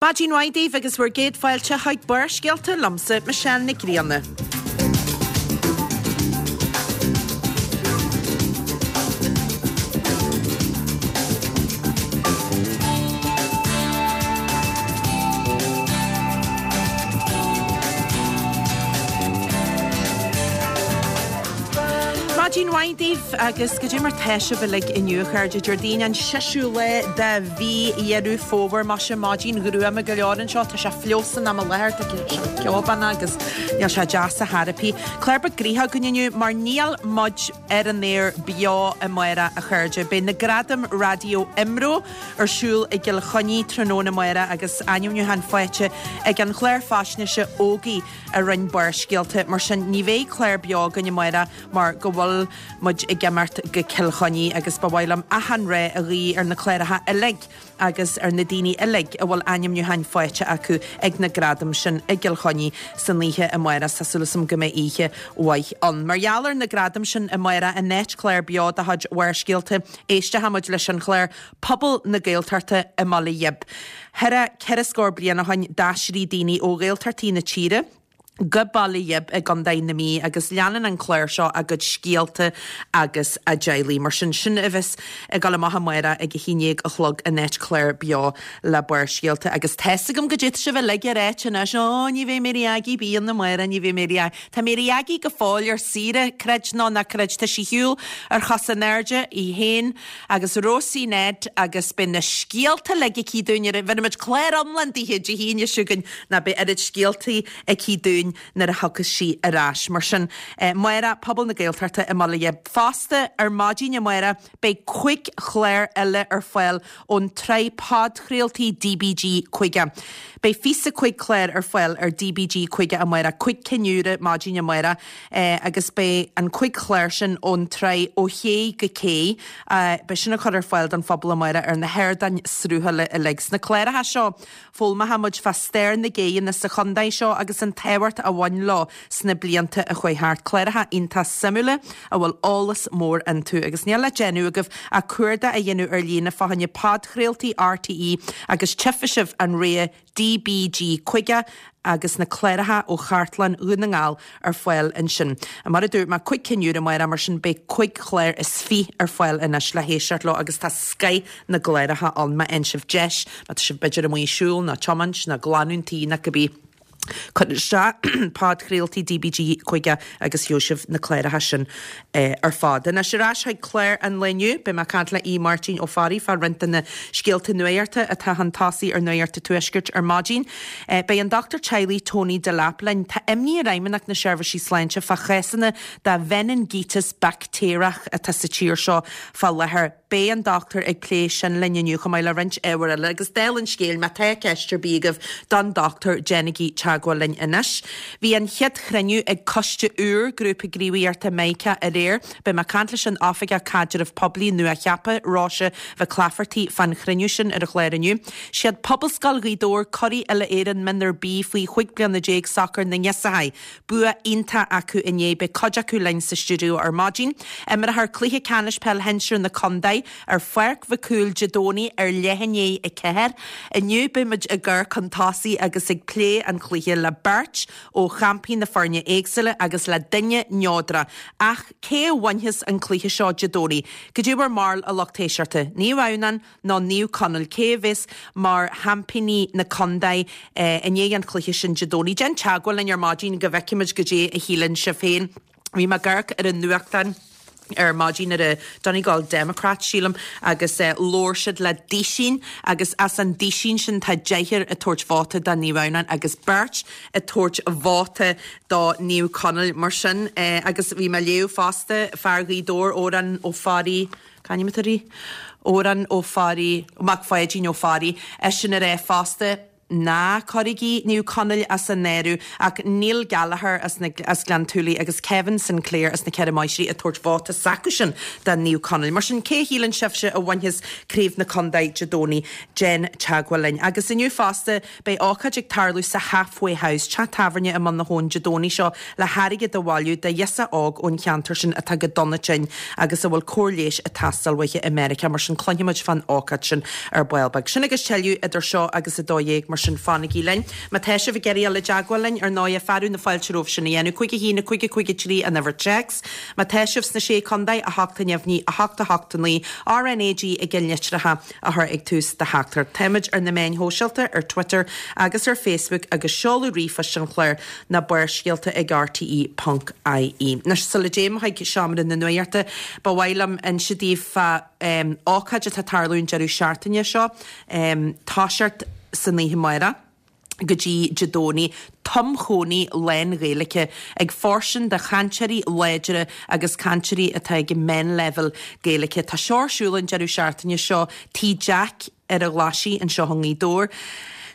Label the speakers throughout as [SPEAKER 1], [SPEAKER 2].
[SPEAKER 1] Maidin mhaith daoibh agus bhur gcéad fáilte chuig Barrscéalta liomsa, Michelle Nic Grianna. Maidin mhaith daoibh agus goidé mar tá sibh uilig inniu, a chairde. Déardaoin an seisiú lá de mhí Dheireadh Fómhair. Maise, maidin ghruama go leor anseo. Tá sé fliuch san am i láthair, tá sé ceobánach agus níl sé deas ar chor ar bith. Clár beag gnoitheach againn inniu mar níl muid ar an aer beo amárach, a chairde. Beidh na Gradaim Raidió IMRO ar siúl i gCill Chainnigh tráthnóna amárach agus ainmniúchán faighte ag an chlár faisnéise Ógie a rinne Barrscéalta. Mar sin, ní bheidh clár beo againn amárach mar go bhfuil muid ag imeacht go Cill Chainnigh agus ba mhaith liom achan rath a ghuí ar na cláracha uilig agus ar na daoine uilig a bhfuil ainmniúcháin faighte acu ag na gradaim sin i gCill Chainnigh san oíche amárach. Tá súil agam go mbeidh oíche mhaith ann. Mar gheall ar na gradaim sin amárach, in áit clár beo de chuid Bharrscéalta, éistfidh muid leis an chlár Pobal na Gaeltachta i mBaile Ghib. Thar cheithre scór bliain ó shin d'aistrigh daoine ó Ghaeltachtaí na tíre, go Baile Ghib i gContae na Mí agus leanann an clár seo a gcuid scéalta agus a dteaghlaigh. Mar sin, sin a bheas ag dul amach amárach ag a haon dhéag a chlog in áit clár beo le Barrscéalta. Agus tá's agam goidé tá sibh uilig ag ráit anois, Ó, ní bheidh Mary Aggie beo ann amárach, ní bheidh Mary Aggie. Tá Mary Aggie go fóill ar saoire, creid nó ná creid, tá sí ar shiúl ar chosa in airde, í féin agus Rósaí Ned agus beidh na scéalta uilig aici dúinn ar an, bhéarfaimid clár iomlán daoithe Dé hAoine seo chugainn ná beidh oiread scéaltaí aici dúinn nuair a thiocfas sí ar ais. Mar sin, amárach, Pobal na Gaeltachta i mBaile Ghib. Fosta, ar maidin amárach, beidh cuig chlár eile ar fáil ón tsraith podchraoltaí DBG 50. Beidh 25 clár ar fáil ar DBG 50 amárach, cuig cinn úra maidin amárach, agus beidh an cuig chlár sin ón tsraith Ó Ché go Cé, beidh sin á chur ar fáil don phobal amárach ar na hardáin sruthála uilig. Sna cláracha seo, foghlaimeoidh muid fá stair na gcéanna sa chontae seo agus an tábhacht a bhain leo sna blianta a chuaigh thart. Cláracha iontach suimiúla a bhfuil eolas mór iontu agus níl le déanamh agaibh ach cuardach a dhéanamh ar líne fá choinne podchraoltaí RTÉ agus tchífidh sibh an rogha DBG 50 agus na cláracha ó Chartlann Dhún na nGall ar fáil ansin. Mar a dúirt mé, cuig cinn úr amárach, mar sin beidh cuig chlár is fiche ar fáil anois le héisteacht leo agus tá scoith na gcláracha ann má fhaigheann sibh deis, má tá sibh b'fhéidir amuigh ag siúl nó tiomáint nó glanadh an tí nó cibé. Cuir isteach podchraoltaí DBG 50 agus gheobhaidh sibh na cláracha sin ar fad. Anois ar ais chuig clár an lae inniu, beidh mé ag caint le Aodh Máirtín Ó Fearraigh fá roinnt de na scéalta nuachta atá chun tosaigh ar Nuacht an Tuaiscirt ar maidin. Beidh an dochtúir teaghlaigh Tony Delap linn. Tá imní ar Fheidhmeannacht na Seirbhísí Sláinte fá chásanna de mheiningíteas baictéarach atá sa tír seo fá láthair. Beidh an dochtúir ag plé sin linn inniu chomh maith le roinnt ábhar eile agus dála an scéil má tá ceist ar bith agaibh don dochtúir déanaigí teagmháil linn anois. Bhí an chéad chruinniú ag coiste úr Grúpa Gníomhaíochta Meidhceá aréir. Beidh mé ag caint leis an Oifigeach Caidrimh Poiblí nua-cheaptha, Róise Mhic Laifeartaigh fán chruinniú sin ar an chlár inniu. Siad Pobalscoil Ghaoth Dobhair curaidh Uile-Éireann Mionúr B faoi chúig bliana déag sacair na nGeansaithe. Bua iontach acu inné, beidh cuid acu linn sa stiúideo ar maidin. Imreofar cluiche ceannais peil shinsir na contae ar Pháirc Mhic Cumhaill Dé Domhnaigh ar leath i ndiaidh a 4. Inniu beidh muid ag amharc chun tosaigh agus ag plé an chluiche le beirt ó champaí na foirne éagsúla agus le duine neodrach. Ach cé a bhainfeas an cluiche seo Dé Domhnaigh? Cad é bhur mbarúil a lucht éisteachta? Naomh Adhamhnáin nó Naomh Conaill, cé a bheas mar sheaimpíní na contae i ndiaidh an chluiche sin Dé Domhnaigh? Déan teagmháil linn ar maidin go bhfeicfimid goidé a shíleann sibh féin. Bhí mé ag amharc ar an nuachtán ar maidin ar an Donegal Democrat, sílim, agus labhair siad le duisín agus as an duisín sin tá deichniúr ag tabhairt vóta do Naomh Adhamhnáin agus beirt ag tabhairt vóta do Naomh Conaill. Mar sin, agus bhí mé ag léamh fosta, fear Ghaoth Dobhair, Odhrán Ó Fearraigh, C'ainm atá air? Odhrán Ó Fearraigh, Mac Pháidín Ó Fearraigh, eisean ag rá fosta, Ná cuirigí Naomh Conaill as an áireamh ach Neil Gallagher as na as Gleann tSúilí agus Kevin Sinclair as na Ceithre Máistrí ag tabhairt vóta s'acusan do Naomh Conaill. Mar sin, cé a shíleann sibhse a bhainfeas Craobh na Contae Dé Domhnaigh? Déan teagmháil linn. Agus inniu fosta, Beidh ócáid ag tarlú sa Halfway House, teach tábhairne i mBun na hAbhann, Dé Domhnaigh seo le hairgead a bhailiú do ghirseach óg ón cheantar sin atá go dona tinn agus a bhfuil cóir leighis ag teastáil uaithi i Meiriceá. Mar sin cluinfimid fán ócáid sin ar ball beag. Sin agus tuilleadh idir seo agus 12. Mar. sin fanaigí linn. Má tá sibh ag iarraidh dul i dteagmháil linn, ar ndóighe, fearadh na fáilte romhaibh sin a dhéanamh. 5 1 5 5 3 an uimhir téacs. Má tá sibh sna Sé Contae, 8 neamhní, 8 8 9, RnaG i gceannlitreacha a chur ag tús do theachtaireacht. Táimid ar na meáin shóisialta, ar Twitter agus ar Facebook agus seoladh ríomhphoist an chláir ná Barrscéalta ag rte ponc ie. Anois, sula dtéim chuig Seomra na Nuachta, ba mhaith liom inse daoibh fá ócáid atá ag tarlú an deireadh seachtaine seo, toiseacht san oíche amárach go dtí Dé Domhnaigh, tumchónaí lán-Ghaeilge ag fóirstean do chainteoirí láidre agus cainteoirí atá ag an meánleibhéal Gaeilge. Tá seo ar siúl an deireadh seachtaine seo, Tigh Jack ar an Ghlaisigh anseo i nGaoth Dobhair.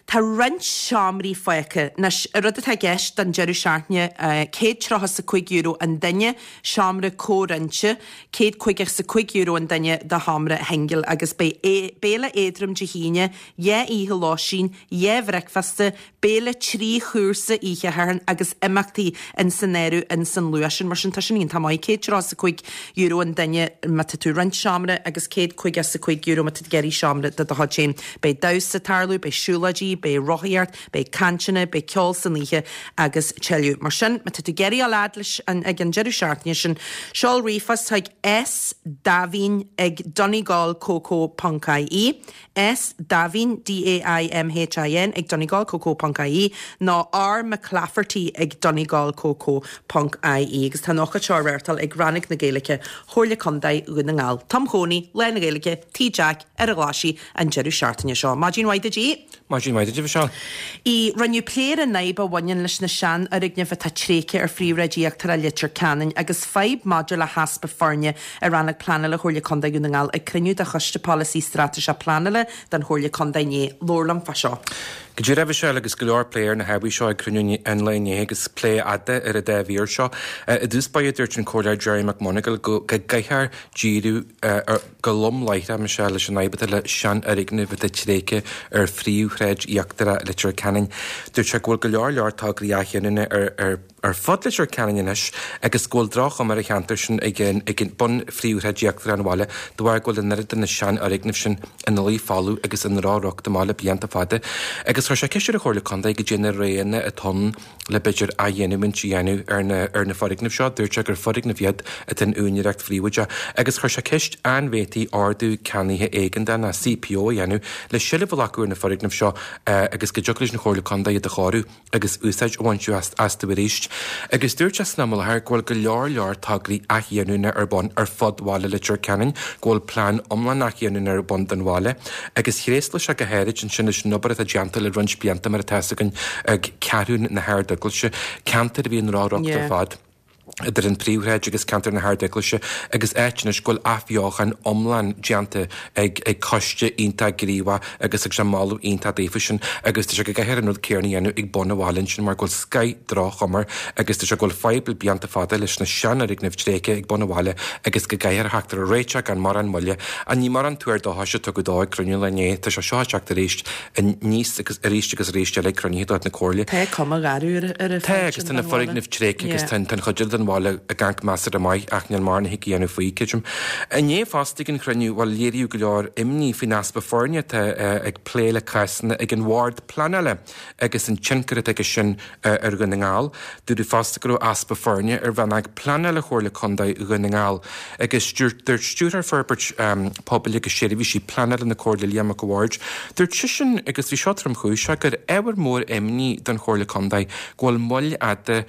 [SPEAKER 1] Tá roinnt seomraí fágtha. Anois, an rud atá i gceist don deireadh seachtaine, €135 an duine, seomra comhroinnte, €155 an duine do sheomra shingil agus beidh béile éadrom Dé hAoine, 2 oíche lóistín, 2 bhricfeasta, béile 3 chúrsa oíche Shathairn agus imeachtaí in san áireamh in san luach sin. Mar sin tá sin iontach maith, €135 an duine má tá tú ag roinnt seomra agus €155 má tá tú ag iarraidh seomra do do chuid féin. Beidh damhsa ag tarlú, beidh siúlóidí, beidh rothaíocht, beidh cainteanna, beidh ceol san oíche agus tuilleadh. Mar sin má tá tú ag iarraidh dul fhad leis an ag an deireadh seachtaine sin, seol ríomhphost chuig sdaimhin ag donegalcoco ponc ie. S Daimhin, D-A-I-M-H-I-N, ag donegalcoco ponc ie nó R McClafferty ag donegalcoco ponc ie agus tá an ócáid seo á reáchtáil ag Rannóg na Gaeilge, Chomhairle Contae Dhún na nGall. Tumchónaí, lán-Ghaeilge, Tigh Jack ar an Ghlaisigh an deireadh seachtaine seo. Maidin mhaith duit a.
[SPEAKER 2] Maidin mhaith duit, a Mhichelle.
[SPEAKER 1] ii, Rinneadh plé ar an fhadhb a bhaineann leis na seanfhoirgnimh atá tréigthe ar phríomhshráid íochtarach Leitir Ceanainn agus fadhb maidir le heaspa foirne i Rannóg Pleanála Chomhairle Contae Dhún na nGall ag cruinniú de Choiste Polasaí Straitéiseach Pleanála den Chomhairle Contae inné. Labhair liom fá seo.
[SPEAKER 2] Go díreach, a Mhichelle, agus go leor plé ar na hábhair seo ag cruinniú an lae inné agus plé fhada ar an dá mhír seo. I dtús báire dúirt an Comhairleoir Gerry McMonagall go gcaithfear díriú ar go lom láithreach, Michelle, leis an fhadhb atá le seanfhoirgnimh atá tréigthe ar phríomhshráid íochtarach Leitir Ceanainn. Dúirt sé go bhfuil go leor leor tograí athghiniúna ar ar fud Leitir Ceanainn anois agus go bhfuil droch-chuma ar an cheantar sin ag ag bun phríomhshráid íochtarach an bhaile de bharr go bhfuil an oiread de na seanfhoirgnimh sin ina luí folamh agus i ndrochshruth amach le blianta fada. Agus chuir sé ceist ar an Chomhairle Contae goidé na roghanna atá ann le b'fhéidir athghiniúint a dhéanamh ar na ar na foirgnimh seo. Dúirt sé gur foirgnimh iad atá in úinéireacht phríobháideach agus chuir sé ceist an bhféadfaí ordú ceannaithe éigeandála, CPO, a dhéanamh le seilbh a ghlacadh ar na foirgnimh seo agus go dtiocfadh leis an Chomhairle Contae iad a chóiriú agus úsáid a bhaint astu arís. Agus dúirt sé san am i láthair go bhfuil go leor leor tograí athghiniúna ar bun ar fud bhaile Leitir Ceanainn, go bhfuil plean iomlán athghiniúna ar bun don bhaile agus thréaslaigh sé go háirid ansin leis an obair atá déanta le roinnt blianta mar atá fhios againn ag Ceathrún na hArd-Eaglaise, ceantar a bhí i ndrochriocht ar fad idir an phríomhshráid agus ceantar na hArd-Eaglaise agus áit anois go bhfuil athbheochan iomlán déanta ag ag coiste iontach gníomhach agus thug sé moladh iontach daofa sin agus dúirt sé go gcaithfear an rud céanna a dhéanamh ag bun an bhaile ansin mar go bhfuil scoith droch-chuma air agus dúirt sé go bhfuil fadhb le blianta fada leis na seanfhoirgnimh tréigthe ag bun an bhaile agus go gcaithfear theacht ar réiteach gan mórán moille. Ach ní mórán tuar dóchais a tugadh dó ag cruinniú an lae inné. Tá sé seo ag teacht arís aníos agus arís agus arís eile ag cruinnithe de chuid na Comhairle.
[SPEAKER 1] Tá cuma gharbh ar an
[SPEAKER 2] Tá, agus tá na foirgnimh tréigthe agus tá an chuid eile den bhaile ag amharc measartha maith ach níl mórán a thig a dhéanamh faoi, creidim. Inné fosta ag an chruinniú, bhuel, léiríodh go leor imní faoin easpa foirne atá ag plé le cásanna ag an Bhord Pleanála agus an tionchar atá aige sin ar Dhún na nGall. Dúradh fosta go raibh easpa foirne ar Rannóg Pleanála Chomhairle Contae Dhún na nGall agus dúirt Stiúrthóir Forbairt Pobail agus Seirbhísí Pleanála na Comhairle Liam Mac a' Bhaird, dúirt seisean, agus bhí seo tromchúiseach, gur ábhar mór imní don Chomhairle Contae go bhfuil moill fhada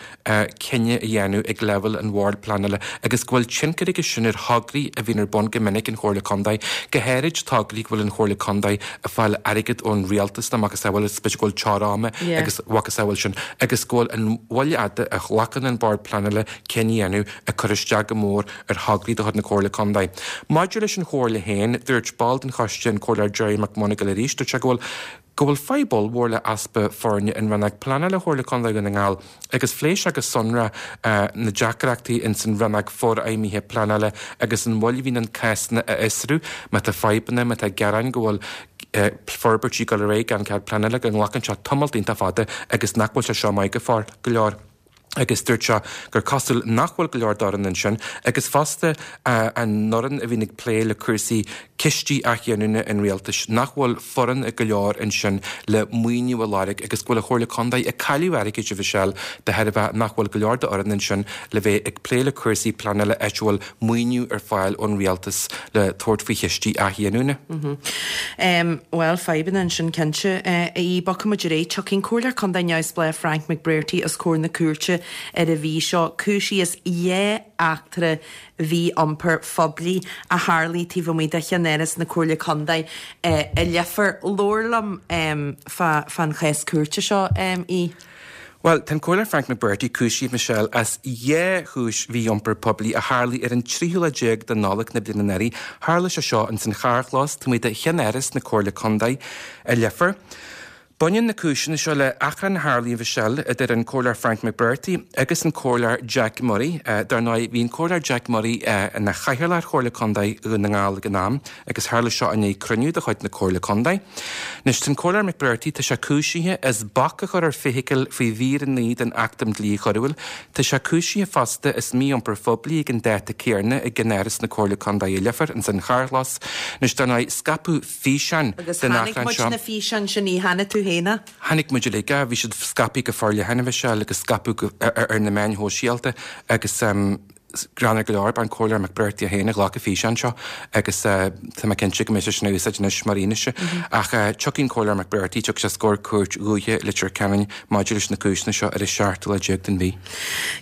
[SPEAKER 2] cinneadh a dhéanamh ag leibhéal an Bhoird Pleanála agus go bhfuil tionchar aige sin ar thograí a bhíonn ar bun go minic an Chomhairle Contae, go háirid tograí go bhfuil an Chomhairle Contae ag fáil airgead ón rialtas nó macasamhail is b'fhéidir go bhfuil teora ama agus mhacasamhail sin agus go bhfuil an mhoill fhada a ghlacann an Bord Pleanála cinneadh a dhéanamh ag cur isteach go mór ar thograí de chuid na Comhairle Contae. Maidir leis an Chomhairle féin, dúirt ball den choiste, an Comhairleoir Gerry McMonagall arís, dúirt sé go bhfuil go bhfuil fadhb ollmhór le easpa foirne in Rannóg Pleanála Chomhairle Contae Dhún na nGall agus phléigh sé go sonrath na deacrachtaí ins an Rannóg Forfheidhmithe Pleanála agus an mhoill a bhíonn ann cásanna a fhiosrú má tá fadhbanna, má tá gearáin go bhfuil forbairtí ag dul ar aghaidh gan cead pleanála go nglacann sé tamalt iontach fada agus nach bhfuil sé seo maith go leor. Agus dúirt sé gur cosúil nach bhfuil go leor d'fhoireann ansin agus fosta an fhoireann a bhíonn ag plé le cúrsaí cistí athghiniúna an rialtais, nach bhfuil foireann go leor ansin le maoiniú a lorg agus go bhfuil an Chomhairle Contae ag cailleadh airgid, a Mhichelle, de thairbhe nach bhfuil go leor d'fhoireann ansin le bheith ag plé le cúrsaí pleanála áit a bhfuil maoiniú ar fáil ón rialtas le tabhairt faoi chistí athghiniúna.
[SPEAKER 1] Bhuel, fadhbanna ansin cinnte. Aodh, bogfaidh muid ar aghaidh. Tiocfaidh an Comhairleoir Contae neamhspleách Frank McBrearty os comhair na cúirte ar an mhí seo, cúisithe as dhá eachtra mhí-iompair phoiblí a tharlaigh taobh amuigh de cheannáras na Comhairle Contae i Leifear. Labhair liom fán chás cúirte seo, Aodh.
[SPEAKER 2] Bhuel, tá an Comhairleoir Frank McBrearty cúisithe, Michelle, as dhá chúis mhí-iompar poiblí a tharlaigh ar an tríú lá déag de Nollaig na bliana anuraidh. Tharla sé seo ins an charrchlós taobh amuigh de cheannáras na Comhairle Contae i Leifear. Baineann na cúiseanna seo le achrann a tharlaigh, Michelle, idir an Comhairleoir Frank McBrearty agus an Comhairleoir Jack Murray. Dar ndóigh, bhí an Comhairleoir Jack Murray ina chathaoirleach ar Chomhairle Contae Dhún na nGall ag an am. Agus tharla seo i ndiaidh cruinniú de chuid na Comhairle Contae. Anois, tá an Comhairleoir McBrearty, tá sé cúisithe as bac a chur ar feithicil faoi mhír 9 den Acht um Dhlí Choiriúil. Tá sé cúisithe fosta as mí-iompar phoiblí ag an dáta céarna i gceannáras na Comhairle Contae i Leifear, ins an charrchlós. Anois, dar ndóigh, scaipeadh físeán
[SPEAKER 1] Agus den chonaic
[SPEAKER 2] achrann
[SPEAKER 1] muid
[SPEAKER 2] seo.
[SPEAKER 1] na físeáin sin, a chonaic tú féin é?
[SPEAKER 2] Chonaic muid uilig é. Bhí siad scaipthe go forleathan, a Mhichelle, agus scaipeadh ar na meáin shóisialta agus. Greannmhar go leor, b'é an Comhairleoir McBrearty é féin a ghlac an físeán seo agus tá mé cinnte go mbeidh sé sin á úsáid anois mar fhianaise. Ach tiocfaidh an Comhairleoir McBrearty, tiocfaidh sé os comhair Cúirt Dhúiche Leitir Ceanainn maidir leis na cúiseanna seo ar an seachtú lá déag den mhí.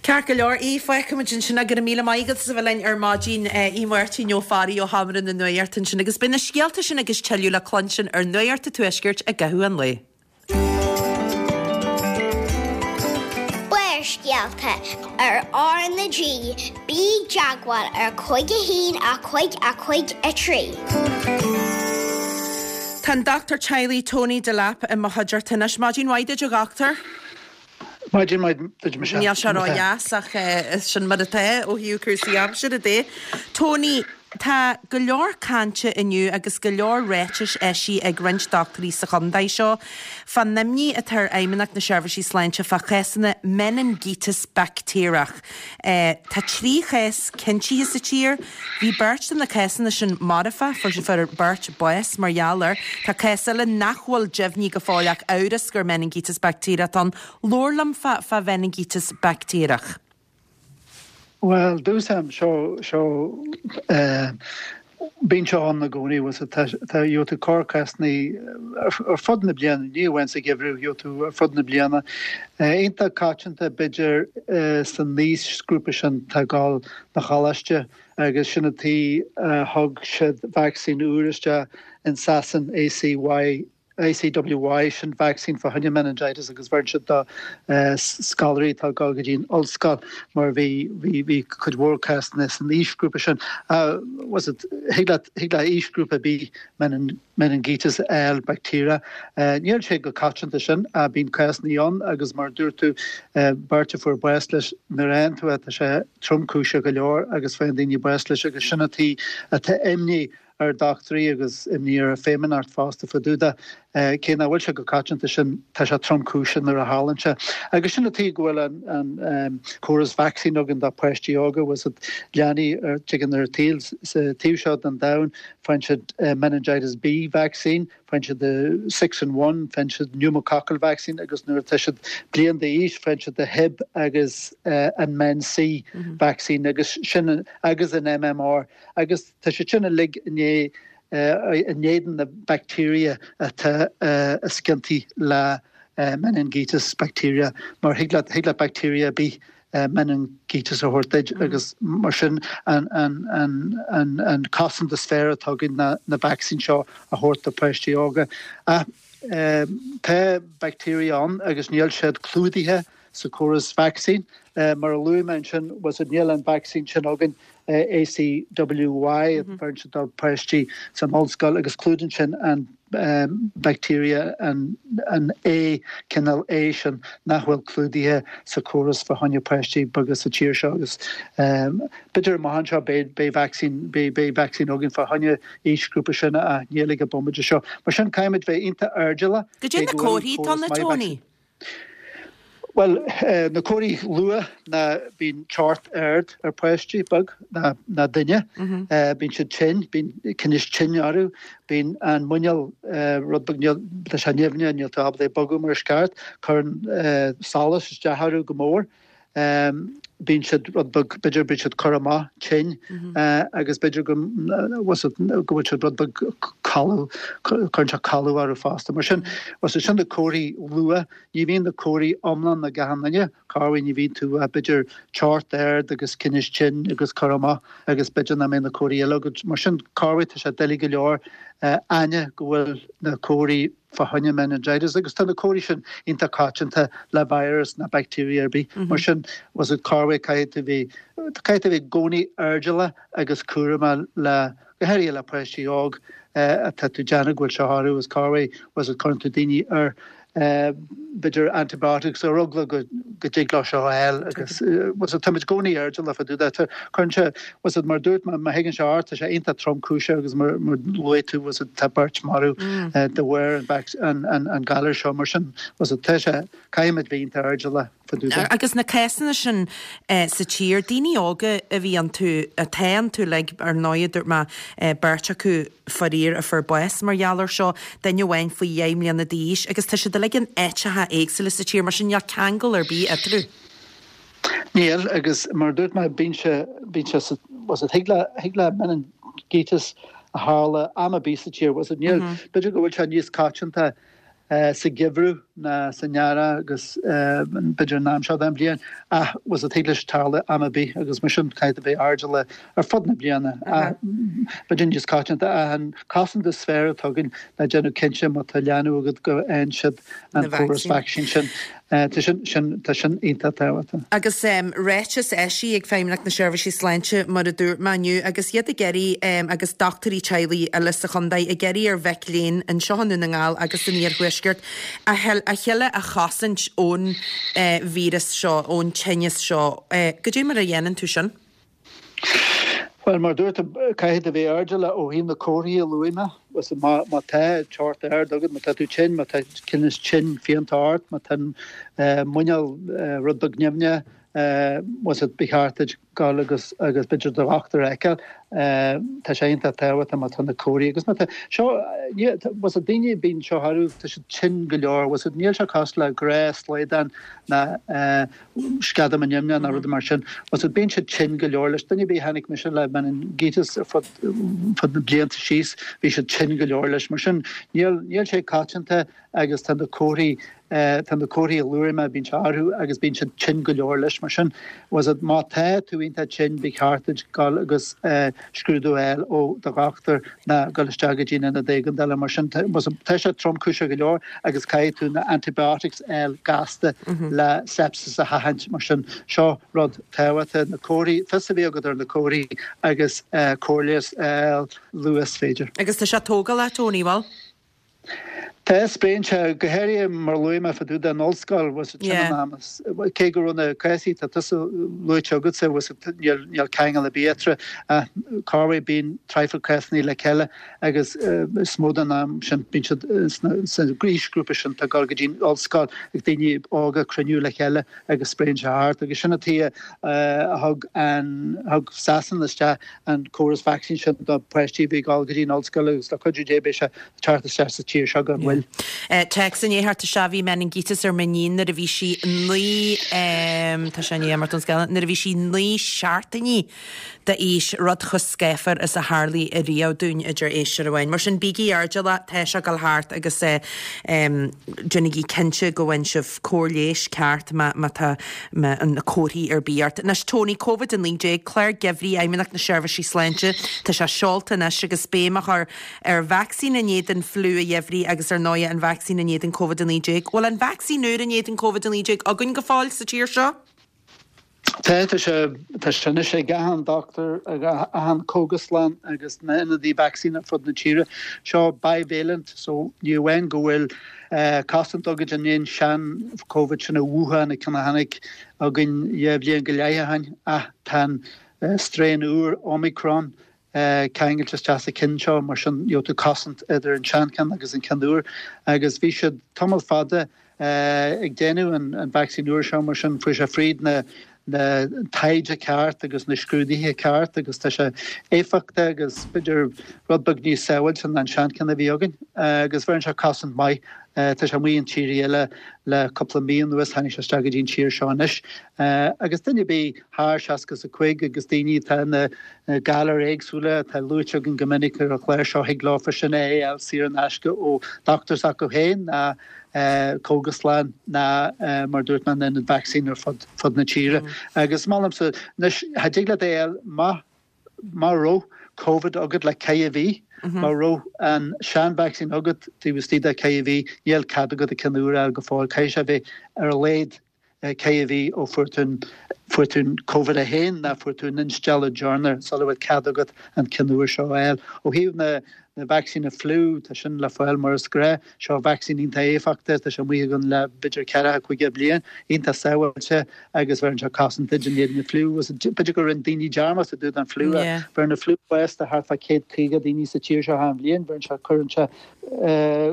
[SPEAKER 1] Ceart go leor, Aodh, fágfaimid ansin é. Go raibh míle maith agat as a bheith linn ar maidin, Aodh Máirtín Ó Fearraigh ó Sheomra na Nuachta ansin. Agus beidh na scéalta sin agus tuilleadh le cluinstin ar Nuacht an Tuaiscirt i gcaitheamh an lae.
[SPEAKER 3] Barrscéalta ar R na G, bí i dteagmháil ar 5 1 5 5 3.
[SPEAKER 1] Tá an Dochtúir Teaghlaigh Tony Delap i mo chuideachta anois. Maidin mhaith duit a dhochtúir.
[SPEAKER 4] Maidin mhaith duit Michelle.
[SPEAKER 1] Níl sé ró-dheas ach sin mar atá ó thaobh cúrsaí aimsire de. Tony, tá go leor cainte inniu agus go leor ráitis eisithe ag roinnt dochtúirí sa chontae seo fán imní atá ar Fheidhmeannacht na Seirbhísí Sláinte fá chásanna meiningíteas baictéarach. Tá 3 chás cinntithe sa tír. Bhí beirt de na cásanna sin marfach, fuair beirt bás mar gheall air. Tá cás eile nach bhfuil deimhnithe go fóill ach amhras gur meiningíteas baictéarach atá ann. Labhair liom fá fá mheiningíteas baictéarach.
[SPEAKER 4] Bhuel, dtús am, seo, seo, eh, bíonn seo ann i gcónaí, bhfuil 's agat, tá, tá, gheobhaidh tú corrchásanna ar fud na bliana, ní amháin sa gheimhreadh, gheobhaidh tú ar fud na bliana. Iontach coitianta, b'fhéidir, san aoisghrúpa sin atá ag dul 'na choláiste agus sin an tuige a thug siad vacsaín úr isteach in Sasain, ACY, ACWY, sin vacsaín fá choinne meningitis agus bheireann siad do scoláirí atá ag dul go dtí an ollscoil mar bhí bhí bhí cuid mhór cásanna san aoisghrúpa sin. Was it thig leat thig le aoisghrúpa ar bith meningitis a fháil bacteria. Níl sé chomh coitianta sin ach bíonn cásanna ann agus mar a dúirt tú beirt a fuair bás leis nuair a fhaigheann tú é tá sé tromchúiseach go leor agus faigheann daoine bás leis agus sin an tuige atá imní ar dochtúirí agus imní ar an Feidhmeannacht fosta fá dtaobh de. Cé nach bhfuil sé chomh coitianta sin, tá sé tromchúiseach nuair a tharlaíonn sé. Agus sin an tuige go bhfuil an córas vacsaín againn do pháistí óga, bhfuil 's agat, leanaí a dtigeann ar an tsaol sa taobh seo den domhan, faigheann siad meningitis B vaccine, faigheann siad the six in one, faigheann siad pneumococcal vaccine agus nuair atá siad bliain d'aois faigheann siad the Hib agus an Men C vaccine agus sin agus an MMR agus Tá siad sin uilig in éadan na bacteria atá is ciontaí le meningitis bacteria mar thig leat thig le bacteria ar bith meningitis a thabhairt duit agus mar sin an an an an an cosaint is fearr atá againn ná na vacsaín seo a thabhairt do pháistí óga. Ach tá bacteria ann agus níl siad clúdaithe sa chóras vacsaín. Mar a luaigh mé ansin, bhfuil 's agat, níl an vacsaín sin againn, ACWY, a bheireann siad do pháistí san ollscoil agus clúdaíonn sin an bacteria, an A, cineál A sin nach bhfuil clúdaithe sa chóras fá choinne páistí beaga sa tír seo agus b'fhéidir amach anseo beidh vacsaín, beidh vacsaín againn fá choinne aoisghrúpa sin ach níl ag an bomaite seo. Mar sin caithfimid bheith iontach airdeallach
[SPEAKER 1] Cad é
[SPEAKER 4] cé
[SPEAKER 1] na
[SPEAKER 4] go bhfuil
[SPEAKER 1] comharthaí atá
[SPEAKER 4] córas
[SPEAKER 1] ann,
[SPEAKER 4] maith
[SPEAKER 1] Tony?
[SPEAKER 4] vacsaín. Bhuel, na comharthaí luath ná bíonn teocht ard ar páistí beag ná duine, bíonn siad tinn, bíonn tinneas tinn orthu, bíonn an muineál rud beag, níl, tá sé nimhneach, níl tú ábalta é a bogadh mar is ceart, cuireann solas isteach orthu go mór. Bíonn siad rud beag, b'fhéidir bíonn siad curtha amach, tinn, agus b'fhéidir go go bhfuil siad rud beag calach, cuireann sé codladh orthu fosta. Mar sin, bhuel sin na comharthaí luath. Ní bhíonn na comharthaí iomlán ag achan duine, corruair ní bhíonn tú ach b'fhéidir teocht ard agus tinneas tinn agus curtha amach agus b'fhéidir nach mbeidh na comharthaí eile agat. Mar sin, corruair tá sé doiligh go leor aithne go bhfuil na comharthaí fá choinne meningitis agus tá na comharthaí sin iontach coitianta le virus ná bacteria ar bith. Mar sin, bhuel is corruair caithfidh tú bheith, caithfidh tú bheith i gcónaí airdeallach agus cúramach le, go háirithe le páistí óg atá tú déanamh go bhfuil seo orthu is corruair, bhuel is cuireann tú daoine ar b'fhéidir antibiotics ar eagla go dtig leo seo a fháil agus bhuel is táimid i gcónaí airdeallach fá dtaobh de. Cuireann sé, bhuel is mar dúirt mé, má thagann sé ort, tá sé iontach tromchúiseach agus mar luaigh tú, bhuel is tá beirt marbh de bharr an an galar seo mar sin, bhuel is tá sé, caithfimid bheith iontach airdeallach fá dtaobh de.
[SPEAKER 1] Agus na cásanna sin sa tír, daoine óga a bhí iontu, atá iontu uilig, ar ndóigh, dúirt mé, beirt acu, faraor, a fuair bás mar gheall air seo, duine amháin faoi dheich mbliana d'aois, agus tá siad uilig in áiteacha éagsúla sa tír, mar sin níl ceangal ar bith eatarthu.
[SPEAKER 4] Níl, agus mar a dúirt mé, bíonn sé, bíonn sé sa, bhuel is thig le, thig le meiningíteas a tharla am ar bith sa tír, bhuel is níl, b'fhéidir go bhfuil sé níos coitianta sa gheimhreadh ná san earrach agus b'fhéidir an am seo den bhliain ach bhuel is thig leis tarlú am ar bith agus mar sin caithfidh tú bheith airdeallach ar fud na bliana ach b'fhéidir níos coitianta ach an cosaint is fearr atá againn ná déanamh cinnte má tá leanbh agat go bhfaigheann siad an córas vacsaín sin. Tá sin, sin, tá sin iontach tábhachtach.
[SPEAKER 1] Agus ráiteas eisithe ag Feidhmeannacht na Seirbhísí Sláinte, mar a dúirt mé inniu, agus iad ag iarraidh, agus dochtúirí teaghlaigh eile sa chontae, ag iarraidh ar mhic léinn anseo i nDún na nGall agus san iarthuaisceart a chéile a chosaint ón víreas seo, ón tinneas seo. Goidé mar a dhéanann tú sin?
[SPEAKER 4] Bhuel, mar a dúirt tú, caithfidh tú bheith airdeallach ó thaobh na comharthaí a luaigh mé. Má, má tá teocht ard agat, má tá tú tinn, má tá tinneas tinn fiánta ort, má tá an muineál rud beag nimhneach, bhuel is ba cheart duit dul agus agus b'fhéidir do dhochtúir a fheiceáil. Tá sé iontach tábhachtach má tá na comharthaí agus má tá seo, bhuel is daoine bíonn seo orthu, tá siad tinn go leor, bhuel is níl sé cosúil le gnáthshlaghdán ná sceadamán nimhneach ná rudaí mar sin. Bhuel is bíonn siad tinn go leor leis. Duine ar bith a chonaic mise le meiningíteas ar fud fud na blianta síos, bhí siad tinn go leor leis. Mar sin, níl, níl sé coitianta agus tá na comharthaí, tá na comharthaí a luaigh mé, bíonn sé orthu agus bíonn siad tinn go leor leis. Mar sin, bhuel is má tá tú iontach tinn, ba cheart duit dul agus scrúdú a fháil ó do dhochtúir ná dul isteach go dtí an ionad éigeandála. Mar sin, tá sé tromchúiseach go leor agus caithfidh tú na antibiotics a fháil gasta le sepsis a sheachaint. Mar sin, seo rud tábhachtach, na comharthaí, fios a bheith agat ar na comharthaí agus cóir leighis a fháil luath is féidir.
[SPEAKER 1] Agus tá sé tógálach, Tony, bhfuil?
[SPEAKER 4] Tá, spréann sé, go háirithe mar a luaigh mé fá dtaobh den ollscoil, bhuel sin an am is, cé go raibh na cásaí atá tusa luaite agatsa, bhuel níl, níl ceangal ar bith eatarthu ach corruair bíonn traidhfil cásanna le chéile agus is mó den am sin bíonn siad sna, san aoisghrúpa sin atá ag dul go dtí'n ollscoil ag daoine óga cruinniú le chéile agus spréann sé thart agus sin an tuige a thug an, thug Sasana isteach an córas vacsaín sin do pháistí a bhí ag dul go dtí an ollscoil agus le cuidiú Dé beidh sé ag teacht isteach sa tír seo gan mhoill.
[SPEAKER 1] Téacs i ndiaidh theacht isteach bhí meiningíteas ar m'iníon nuair a bhí sí 9 tá sé i ndiaidh imeacht ón scáileán nuair a bhí sí 9 seachtainí d'aois, rud chomh scáfar is a tharlaigh ariamh dúinn, a deir éisteoir amháin. Mar sin bígí airdeallach, tá sé ag dul thart agus déanaigí cinnte go bhfaigheann sibh cóir leighis ceart má tá na comharthaí ar bith ort. Anois Tony, Covid-19, Clár Geimhridh Fheidhmeannacht na Seirbhísí Sláinte, tá sé seolta anois agus béim á chur ar vacsaín in éadan fliú an gheimhridh agus ar ndóighe an vacsaín in éadan Covid-19. Bhfuil an vacsaín úr in éadan Covid-19 againn go fóill sa tír seo?
[SPEAKER 4] Tá, tá sé, tá sé anois ag achan dochtúir, ag achan cógaslann agus na ionadaí vacsaín ar fud na tíre. Seo bivalent, so ní amháin go bhfuil cosaint agat in aghaidh an sean-Covid sin ó Wuhan, an ceann a tháinig againn dhá bhliain go leith ó shin, ach tá an strain úr Omicron ceangailte isteach sa cheann seo, mar sin gheobhaidh tú cosaint idir an seancheann agus an ceann úr. Agus bhí siad tamall fada. ag déanamh an vacsaín úr seo mar sin fuair sé fríd na na taighde ceart agus na scrúduithe ceart agus tá sé éifeachtach agus b'fhéidir rud beag níos sábháilte ná an seancheann a bhí againn agus bheireann sé cosaint maith. Tá sé amuigh in tíortha eile le cúpla mí anuas, tháinig sé isteach go dtí an tír seo anois agus duine ar bith thar 65 agus daoine atá ina galair éagsúla atá luaite againn go minic ar an chlár seo thig leofa sin é a fháil saor in aisce ó dochtúir s'acu féin ná cógaslann ná mar a dúirt mé in ionad vacsaín ar fud fud na tíre. Agus molaimse anois cha dtig leat é a fháil má má raibh Covid agat le ceithre mhí, má raibh an sean-vacsaín agat taobh istigh de cheithre mhí, níl cead agat an ceann úr a fháil go fóill. Caithfidh sé a bheith ar a laghad ceithre mhí ó fuair tú an fuair tú an Covid 1 ná fuair tú an instealladh deireanach sula bhfuil cead agat an ceann úr seo a fháil. Ó thaobh na na vacsaíne fliú, tá sin le fáil mar is gnách. Seo vacsaín iontach éifeachtach, tá sé amuigh againn le b'fhéidir ceathracha caoga bliain, iontach sábháilte agus bheireann sé cosaint duit in éadan na fliú. B'fhéidir go rinne daoine dearmad i dtaobh den fliú ach bheireann an fliú bás do thart fá 150 daoine sa tír seo achan bhliain. Bheireann sé, cuireann sé,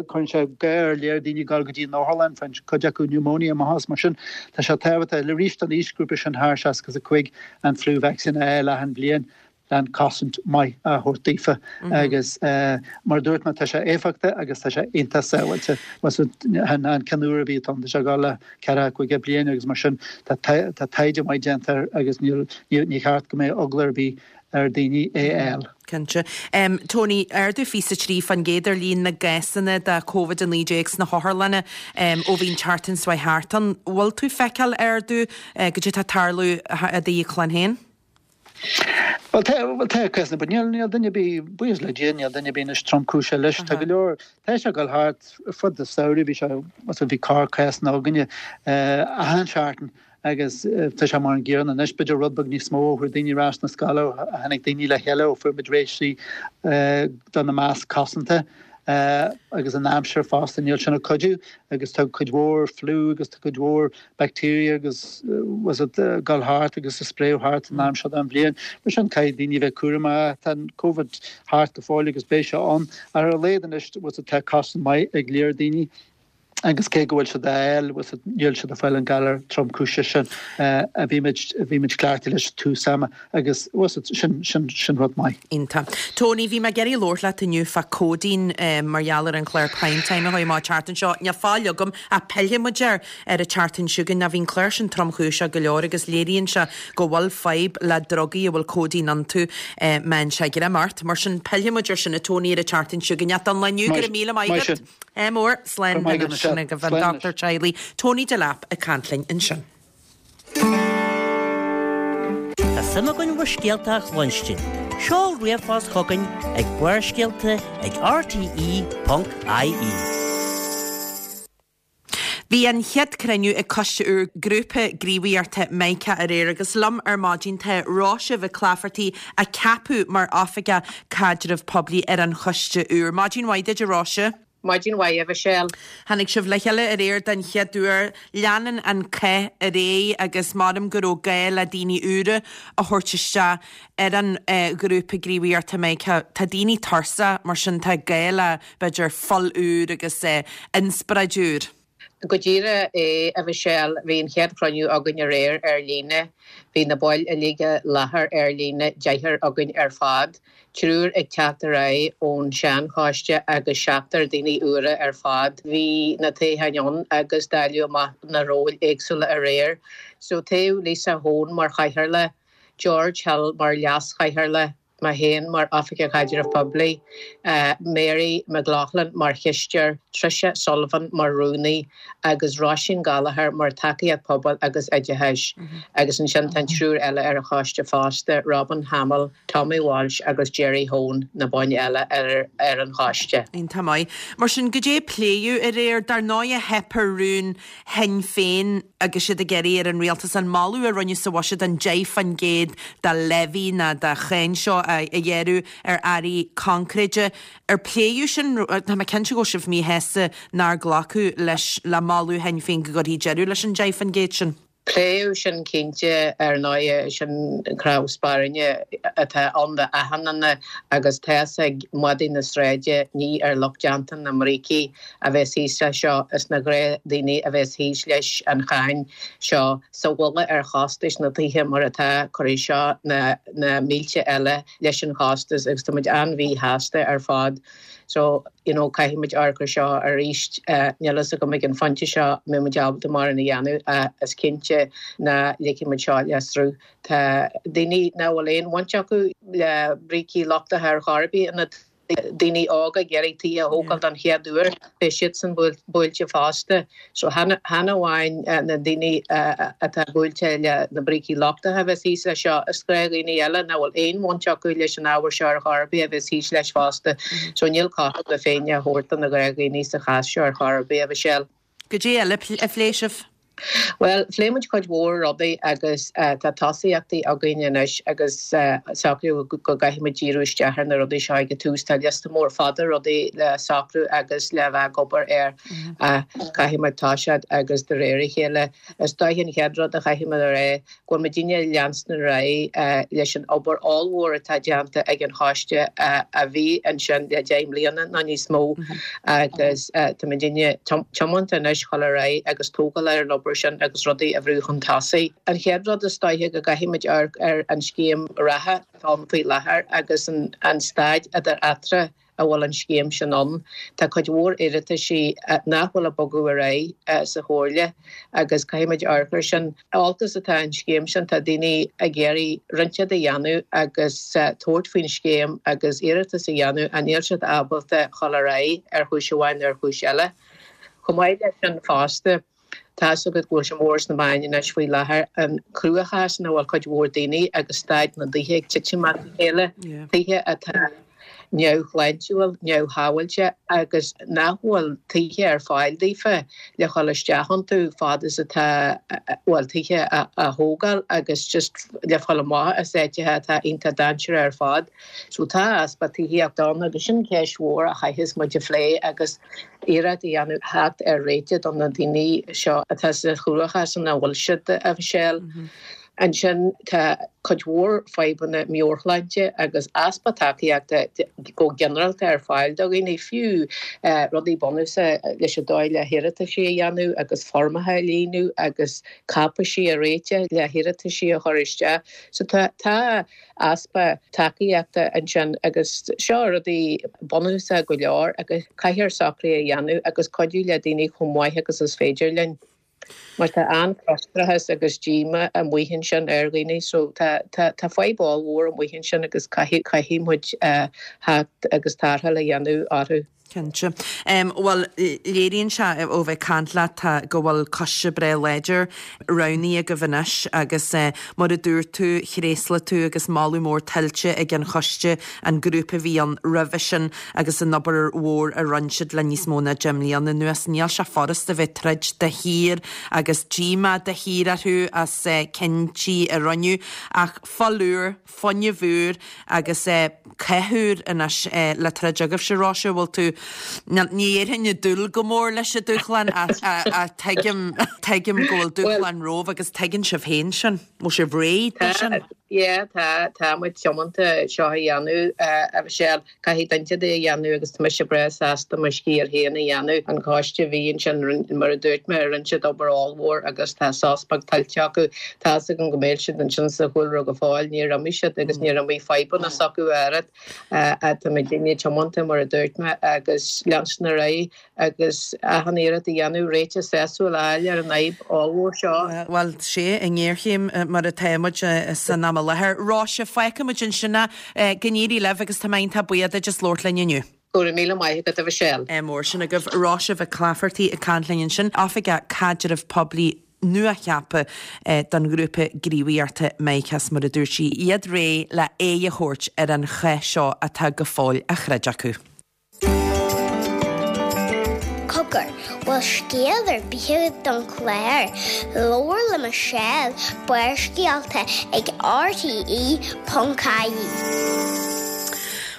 [SPEAKER 4] cuireann sé gá ar leor daoine dul go dtí an otharlann, faigheann cuid acu pneumonia amach as. Mar sin, tá sé tábhachtach arís don aoisghrúpa sin thar 65 an flu vaccine a fháil achan bhliain. an cosaint maith a thabhairt daofa agus mar a dúirt mé tá sé éifeachtach agus tá sé iontach sábháilte. An ceann úr a bhí ann tá sé ag dul le ceathracha caoga bliain agus mar sin tá taighde maith déanta air agus ní cheart go mbeadh eagla ar bith ar daoine é a fháil.
[SPEAKER 1] Cinnte. Tony, ardú 23% ar líon na gcásanna de Covid-19 sna hotharlanna ó bhí an tseachtain seo thart ann. Bhfuil tú ag feiceáil ardú goidé atá ag tarlú i d'íoclann féin?
[SPEAKER 4] Bhuel tá, bhuel tá cásanna, but níl, níl duine ar bith, buíochas le Dia, níl duine ar bith anois tromchúiseach leis. Tá go leor, tá sé ag dul thart ar fud an samhraidh, bhí sé, bhí corr-cásanna againne achan seachtain agus tá sé mar an gcéanna anois, b'fhéidir rud beag níos mó ó chuaigh daoine ar ais na scoile, ó tháinig daoine le chéile, ó fuair muid réitigh do na masc cosanta agus an aimsir fosta, níl sin ag cuidiú agus tá cuid mhór fliú agus tá cuid mhór bacteria agus was it ag dul thart agus ag spréadh thart an am seo den bhliain. Mar sin caithfidh daoine a bheith cúramach. Tá an Covid thart go fóill agus beidh sé ann. Ach ar a laghad anois was it tá cosaint maith ag leor daoine agus cé go bhfuil siad á fháil was it níl siad ag fáil an galar tromchúiseach sin a bhí muid a bhí muid cleachtaithe leis tús ama agus was it sin sin sin rud maith.
[SPEAKER 1] Iontach. Tony, bhí mé ag iarraidh labhairt leat inniu fá codeine mar gheall ar an chlár Prime Time a chuaigh amach an tseachtain seo. Níl fáil agam ach pillfidh muid air ar an tseachtain seo chugainn. Bhí an clár sin tromchúiseach go leor agus léiríonn sé go bhfuil fadhb le drugaí a bhfuil codeine iontu. Meán sé greim ort. Mar sin, pillfidh muid ar sin, a Tony, ar an tseachtain seo chugainn. Ach don lá inniu, go raibh míle maith agat. Ádh mór. Slán anois. Sin agaibh an dochtúir teaghlaigh, Tony Delap, ag caint linn ansin.
[SPEAKER 5] Tá suim againn bhur scéalta a chluinstin. Seol ríomhphost chugainn ag barrscéalta ag rte.ie.
[SPEAKER 1] Bhí an chéad cruinniú ag coiste úr Grúpa Gníomhaíochta Mica aréir agus liom ar maidin tá Róise Mhic Laifeartaigh a ceapadh mar Oifigeach Caidreamh Poiblí ar an choiste úr. Maidin mhaith duit a Róise.
[SPEAKER 6] Maidin mhaith a Mhichelle.
[SPEAKER 1] Tháinig sibh le chéile aréir den chéad uair. Leanann an cath ar aghaidh agus maram go raibh gá le daoine úra a thabhairt isteach ar an ghrúpa gníomhaíochta Mica. Tá daoine tuirseach, mar sin tá gá le b'fhéidir fuil úr agus inspioráid úr.
[SPEAKER 6] Go díreach é, a Mhichelle. Bhí an chéad chruinniú againn aréir ar líne. Bhí na baill uilig i láthair ar líne, deichniúr againn ar fad. Triúr ag teacht ar aghaidh ón seanchoiste agus seachtar daoine úra ar fad. Bhí na toghcháin ann agus dáileadh amach na róil éagsúla aréir. So toghadh Lisa Hone mar chathaoirleach, George Hill mar leas-chathaoirleach, mé féin mar Oifigeach Caidreamh Poiblí, Mary McLaughlin mar chisteoir, Tricia Sullivan mar rúnaí agus Róisín Gallagher mar tacaíocht pobail agus oideachais. Agus ansin tá an triúr eile ar an choiste fosta, Robin Hamill, Tommy Walsh agus Jerry Hone, na baill eile ar an choiste.
[SPEAKER 1] Iontach maith. Mar sin, goidé a pléadh aréir? Dar ndóighe, theip ar rún Shinn Féin agus siad ag iarraidh ar an rialtas an moladh a rinneadh sa bhuiséad an 10% de levy nó de cháin seo a ghearradh ar earraí coincréide. Ar pléadh sin? Tá mé cinnte go bhfuil sibh míshásta nár glacadh leis le moladh Shinn Féin go gcuirfí deireadh leis an 10% sin.
[SPEAKER 6] Pléadh sin cinnte, ar ndóighe, sin cnámh spairne atá ann do achan duine agus tá's ag madaí na sráide ní ar lucht déanta na mbrící a bheas thíos leis seo, is na gnáthdhaoine a bheas thíos leis an cháin seo. Sa bhuille ar chostais na dtithe mar atá, cuirfidh seo na mílte eile leis an chostas agus tá muid an-mhíshásta ar fad. So, you know, caithfidh muid amharc ar seo arís. Níl fhios agam ag an phointe seo an mbeidh muid ábalta mórán a dhéanamh ach is cinnte ná ligfidh muid seo le sruth. Tá daoine nach bhfuil aon bhaint acu le brící lochtacha ar chor ar bith ina daoine óga ag iarraidh tithe a thógáil don chéad uair, beidh siadsan buailte fosta. So chan amháin na daoine atá buailte le na brící lochtacha a bheas thíos leis seo, is gnáthdhaoine eile nach bhfuil aon bhaint acu leis an ábhar seo ar chor ar bith a bheas thíos leis fosta. So níl cothrom na Féinne á thabhairt do na gnáthdhaoine sa chás seo ar chor ar bith, a Mhichelle.
[SPEAKER 1] Goidé eile a phléigh sibh?
[SPEAKER 6] Bhuel, phléigh muid cuid mhór rudaí agus tá tosaíochtaí againn anois agus socraíodh go gcaithfidh muid díriú isteach ar na rudaí seo ag an tús. Tá liosta mór fada rudaí le socrú agus le bheith ag obair air ach caithfidh muid toiseacht agus de réir a chéile. Is dóiche an chéad rud a chaithfidh muid a rá go bhfuil muidinne ag leanstan ar aghaidh leis an obair ollmhór atá déanta ag an choiste a bhí ansin le 10 mbliana nó níos mó agus tá muidinne tiomanta anois dhul ar aghaidh agus tógáil ar an obair sin agus rudaí a bhrú chun tosaigh. An chéad rud is dóiche go gcaithfidh muid amharc ar an scéim reatha atá ann faoi láthair agus an staid idir eatarthu a bhfuil an scéim sin ann. Tá cuid mhór iarrataisí nach bhfuil ag bogadh ar aghaidh sa Chomhairle agus caithfidh muid amharc air sin. Olcas atá an scéim sin, tá daoine ag iarraidh roinnt de a dhéanamh agus tabhairt faoin scéim agus iarratas a dhéanamh ach níl siad ábalta dhul ar aghaidh ar chúis amháin nó ar chúis eile. Chomh maith leis sin fosta, Tá's agat go bhfuil sé mór sna meáin anois faoi láthair, an cruachás ina bhfuil cuid mhór daoine agus staid na dtithe ag titim as a chéile, tithe atá neamhshláintiúil, neamhshábháilte agus nach bhfuil tithe ar fáil daofa le dhul isteach iontu fad is atá, bhuel, tithe a thógáil agus just le dhul amach as áiteacha atá iontach dainséarach ar fad. So tá easpa tithíochta ann agus sin ceist mhór a chaithfeas muid a phlé agus iarracht a dhéanamh theacht ar réiteach do na daoine seo atá sa chruachás ina bhfuil siad, a Mhichelle. Ansin tá cuid mhór fadhbanna meabhairshláinte agus easpa tacaíochta go ginearálta ar fáil do dhaoine, fiú rudaí bunúsacha leis an dóigh le hiarrataisí a dhéanamh agus foirmeacha a líonadh agus cáipeisí a réiteach le hiarrataisí a chur isteach. So tá tá. easpa tacaíochta ansin agus seo rudaí bunúsacha go leor agus caithfear socruithe a dhéanamh agus cuidiú le daoine chomh maith agus is féidir linn mar tá an-fhrustrachas agus díomá amuigh ansin ar dhaoine so tá tá tá fadhb ollmhór amuigh ansin agus caithfidh caithfidh muid theacht agus tarrtháil a dhéanamh orthu.
[SPEAKER 1] Cinnte. Bhuel, léiríonn sé ó bheith ag caint leat tá go bhfuil coiste breá láidir roghnaithe agaibh anois agus mar a dúirt tú, thréaslaigh tú agus moladh mór tuillte ag an choiste, an grúpa a bhí ann roimhe sin agus an obair mhór a rinne siad le níos mó ná 10 mbliana anuas. Níl sé furasta bheith ag troid de shíor agus díomá de shíor orthu as cinntí a rinneadh ach fuil úr, fuinneamh úr agus cath úr anois le troid agaibhse, Róise, bhfuil tú, ní dhéarfainn ag dúil go mór leis an dúshlán ach tuigim, tuigim go bhfuil dúshlán romhaibh agus tuigeann sibh féin sin. Bhfuil sibh réidh dó sin?
[SPEAKER 6] Yeah, tá, tá muid tiomanta seo a dhéanamh, a Mhichelle. Caithfidh duine é a dhéanamh agus tá mise breá sásta mo sciar féin a dhéanamh. An coiste a bhí ansin, mar a dúirt mé, rinne siad obair ollmhór agus tá sos beag tuillte acu. Tá's agam go mbeidh siad ansin sa chúlra go fóill, níor imigh siad agus níor imigh fadhbanna s'acu oiread. Tá muidinne tiomanta, mar a dúirt mé, agus leanstan ar aghaidh. agus achan iarracht a dhéanamh réiteach sásúil a fháil ar an fhadhb ollmhór seo.
[SPEAKER 1] Bhuel, sea, i ngéarchéim mar atá muid san am i láthair. Róise, fágfaidh muid ansin é. Go n-éirí libh agus tá mé iontach buíoch duit as labhairt linn inniu.
[SPEAKER 6] Go raibh míle maith agat, a Mhichelle.
[SPEAKER 1] Ádh mór sin agaibh. Róise Mhic Laifeartaigh ag caint linn ansin, Oifigeach Caidrimh Poiblí nuacheaptha don ghrúpa gníomhaíochta MICAS, mar a dúirt sí, iad réidh le aghaidh a thabhairt ar an chath seo atá go fóill á throid acu.
[SPEAKER 3] Cogar, bhfuil scéal ar bith agat don chlár? Labhair le Michelle, Barrscéalta ag RTE.ie.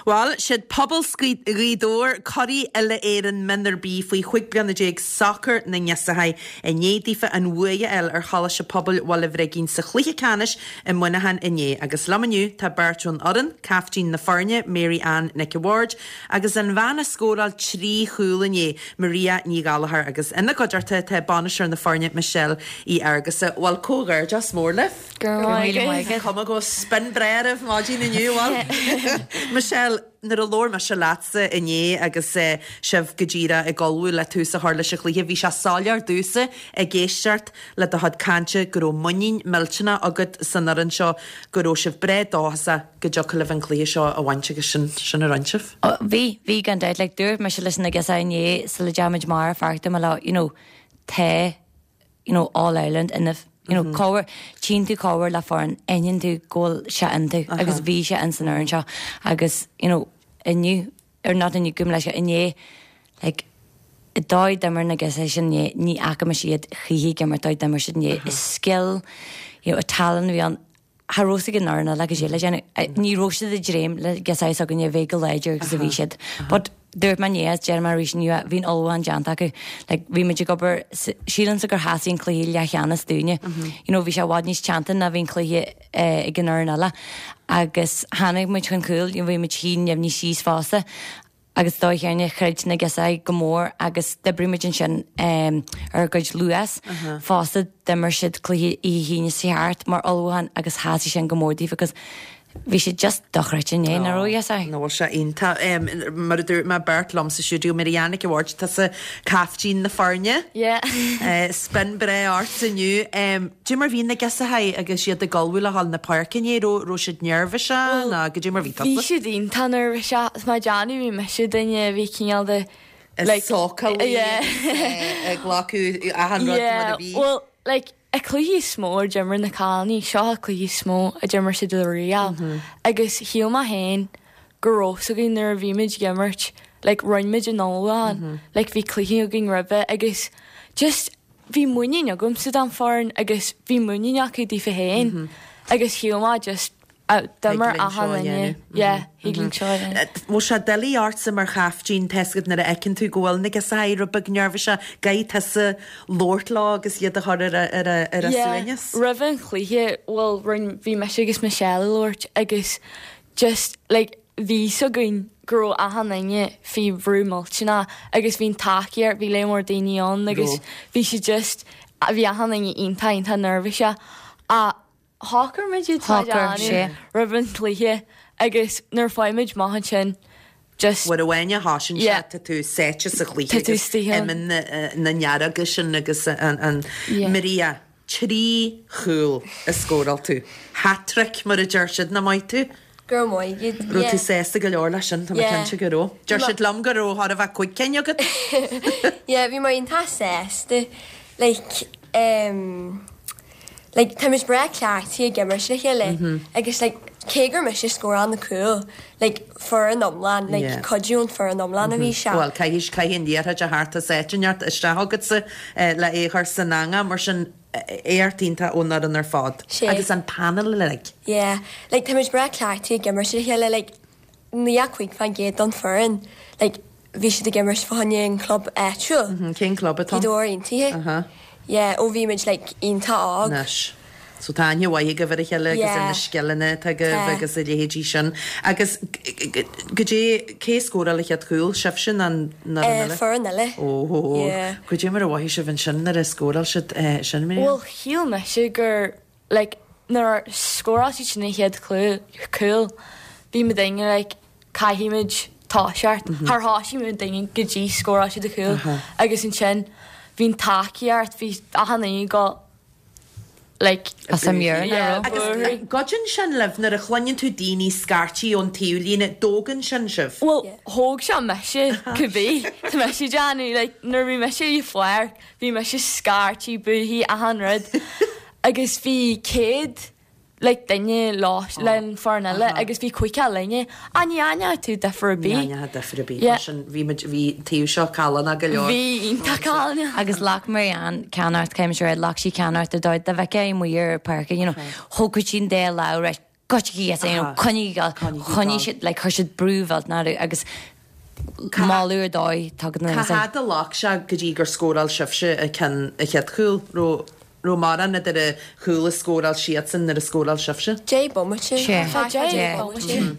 [SPEAKER 1] Bhuel, siad Pobal Ghaoth Dobhair, curaidh uile-Éireann Mionúr B faoi 15 bliana sacar na nGeosaithe, i ndiaidh daofa an bhuaidh a fháil ar Choláiste Pobail Bhaile Bhrigín sa chluiche ceannais i Muineachán inné. Agus liom inniu tá beirt ón fhoireann, caiftín na foirne, Mary Ann Nic a' Bhaird, agus an bhean a scóráil 3 chúl inné, Maria Ní Ghallchóir. Agus ina gcuideachta tá bainisteoir na foirne, Michelle Uí Fhearghusa. Bhuel, comhghairdeas mór libh!
[SPEAKER 7] Go raibh míle maith agat.
[SPEAKER 1] Cuma go bhfuil spion breá oraibh maidin inniu, bhuel. Michelle, nuair a labhair mise leatsa inné agus sibh go díreach ag ullmhú le tús a chur leis an chluiche, bhí sé soiléir domhsa ag éisteacht le do chuid cainte go raibh muinín millteanach agat san fhoireann seo, go raibh sibh breá dóchasach go dtiocfadh libh an cluiche seo a bhaint agus sin, sin a rinne sibh.
[SPEAKER 7] Bhí, bhí gan dabht. Like, dúirt mise leis na girseachaí inné sula dteachaigh muid amach ar pháirc, dúirt mé leo, you know, tá, you know, All Ireland ionaibh. You know, cá huair, tchíonn tú cá huair le foireann, aithníonn tú go bhfuil sé iontu agus bhí sé in san fhoireann seo agus, you know, inniu, or not inniu, gabh mo leithscéal, inné, like, an dóigh d'imir na girseachaí sin inné, ní fhaca mise iad choíche ag imirt dóigh d'imir siad inné. Is scil, you know, a tallann a bhí ann. Cha raibh a fhios ag an fhoireann eile goidé le déanamh. Ní raibh siad ag dréim le girseachaí s'againne a bheith chomh láidir agus a bhí siad. But dúirt mé inné agus déarfaidh mé arís inniu, bhí an ullmhúchán déanta acu. Like bhí muid ag obair, sílimse gur sheasaigh an cluiche leathcheannais dúinne. You know bhí sé i bhfad níos teannta ná bhí an cluiche ag an fhoireann eile. Agus tháinig muid chun cúil, you know bhí muid thí neamhní síos fosta. Agus dóigh chéanna, chreid na girseachaí go mór agus d'oibrigh muid ansin ar a gcuid luas. Fosta, d'imir siad cluiche oíche hAoine seo thart mar ullmhúchán agus sheasaigh sin go mór daofa agus bhí siad just dochreidte inné, nach raibh a fhios
[SPEAKER 1] Nach bhfuil sé iontach. Mar a dúirt mé, beirt liom sa stiúideo, Mary Ann Nic a' Bhaird, tusa caiftín na foirne.
[SPEAKER 8] Yeah.
[SPEAKER 1] Spion breá ort inniu. Goidé mar bhí na girseachaí agus iad ag ullmhú le dhul na páirce inné, raibh raibh siad neirbhíseach nó goidé mar bhí tusa?
[SPEAKER 8] Bhí siad iontach neirbhíseach, is má déanamh bhí mise duine a bhí cineál de
[SPEAKER 1] like sócúlaí yeah ag glacadh achan rud mar a bhí.
[SPEAKER 8] Yeah, well like an cluiche is mó a d'imir na cailíní, seo an cluiche is mó a d'imir siad riamh agus shíl mé féin go raibh fhios againn nuair a bhí muid ag imirt like rinne muid an ullmhúchán like bhí cluichí againn roimhe agus just bhí muinín agamsa don foireann agus bhí muinín acu daofa féin agus shíl mé just d'imir achan duine yeah thig linn seo a
[SPEAKER 1] dhéanamh. Bhfuil sé doiligh ortsa mar chaiftín, tá 'fhios agat nuair a fheiceann tú go bhfuil na girseachaí rud beag neirbhíseach, go gcaithfidh tusa labhairt leo agus iad a chur ar a ar a ar a
[SPEAKER 8] Yeah,
[SPEAKER 1] suaimhneas?
[SPEAKER 8] roimh an chluiche, bhuel rinn, bhí mise agus Michelle ag labhairt agus just like bhí 'fhios againn go raibh achan duine faoi bhrú millteanach agus bhí an tacaíocht, bhí lear mór daoine ann agus bhí sé just, bhí achan duine iontach iontach neirbhíseach ach shocair muid iad
[SPEAKER 7] Shocair, sé.
[SPEAKER 8] roimh an chluiche agus nuair a fuair muid amach ansin just
[SPEAKER 1] Uair amháin a thosaíonn sé
[SPEAKER 8] Yeah.
[SPEAKER 1] tá tú sáite sa chluiche
[SPEAKER 8] Tá tú
[SPEAKER 1] agus
[SPEAKER 8] istigh ann.
[SPEAKER 1] imíonn na na nearga sin agus an an
[SPEAKER 8] Yeah.
[SPEAKER 1] Maria. 3 chúl a scóráil tú. Hat-trick mar a deir siad, nach maith tú?
[SPEAKER 9] Go raibh maith agat.
[SPEAKER 1] Raibh tú sásta go leor leis sin, tá mé cinnte go raibh. Deir siad liom go raibh chóir a bheith 5 cinn agat.
[SPEAKER 9] Yeah, bhí mé iontach sásta. Like, um, like, tá muid breá cleachtaithe ag imirt le chéile agus like, cé gur mise a scóráil na cúil, like, foireann iomlán, like,
[SPEAKER 1] Yeah.
[SPEAKER 9] cuidiú ón foireann iomlán a bhí sé.
[SPEAKER 1] Bhuel, caithfidh, caithfidh an liathróid a theacht as áit inteacht isteach agatsa le é a chur san eangach, mar sin éacht iontach ón fhoireann ar fad.
[SPEAKER 9] Sé.
[SPEAKER 1] Agus an panel uilig.
[SPEAKER 9] Yeah, like, tá muid breá cleachtaithe ag imirt le chéile, like, 95% don foireann, like, bhí siad ag imirt fá choinne an club áitiúil.
[SPEAKER 1] Cén club atá
[SPEAKER 9] ann? Gaoth Dobhair Aontaithe.
[SPEAKER 1] Aha.
[SPEAKER 9] Yeah, ó bhí muid like iontach óg.
[SPEAKER 1] Anois. So tá aithne mhaith agaibh ar a chéile agus ar na scileanna atá agaibh agus a leithéidí sin. Agus goidé, cé a scóráil an chéad chúl? Sibhse nó an fhoireann eile?
[SPEAKER 9] Foireann eile.
[SPEAKER 1] Ó,
[SPEAKER 9] Yeah.
[SPEAKER 1] goidé mar a mhothaigh sibh ansin nuair a scóráil siad sin, Miriam?
[SPEAKER 8] Bhuel, shíl mise gur like nuair a scóráil siad sin an chéad cúl, bhí muidinne like caithfidh muid toiseacht. Char thoisigh muidinne go dtí scóráil siad an chúl agus ansin bhí an tacaíocht, bhí achan duine go like
[SPEAKER 7] As a meabhair,
[SPEAKER 8] yeah,
[SPEAKER 7] nach raibh?
[SPEAKER 1] Agus goideann sin libh nuair a chluineann tú daoine scairtigh ón taobhlíne, dtógann sin sibh?
[SPEAKER 8] Bhuel, thóg sé mise cibé, tá mise ag déanamh like nuair a bhí mise ar an pháirc bhí mise scairtigh, booigh, achan rud agus bhí 100 like duine le an foireann eile agus bhí 50 linne ach ní aithneodh tú difear ar
[SPEAKER 1] Ní
[SPEAKER 8] bith.
[SPEAKER 1] aithneofá difear ar bith.
[SPEAKER 8] Yeah.
[SPEAKER 1] Mar sin bhí muid, bhí an taobh seo callánach go leor.
[SPEAKER 8] Bhí iontach callánach.
[SPEAKER 7] Agus ghlac Marianne ceannaireacht, caithfidh mise a rá, ghlac sí ceannaireacht ar dóigh, dá bhfeicfeá í amuigh ar an pháirc, you know, thógfadh sí an dá lámh, right, Goitse yes, you know, coinnigh ag gabháil, choinnigh siad, like, chuir siad brú mhillteanach orthu agus moladh ar dóigh tugtha na
[SPEAKER 1] Cá fhad a ghlac sé go dtí gur scóráil sibhse an ceann, an chéad chúl? Raibh, raibh mórán idir an chúl a scóráil siadsan nuair a scóráil sibhse?
[SPEAKER 9] Deich bomaite.
[SPEAKER 7] Sé.
[SPEAKER 9] Tá deich bomaite.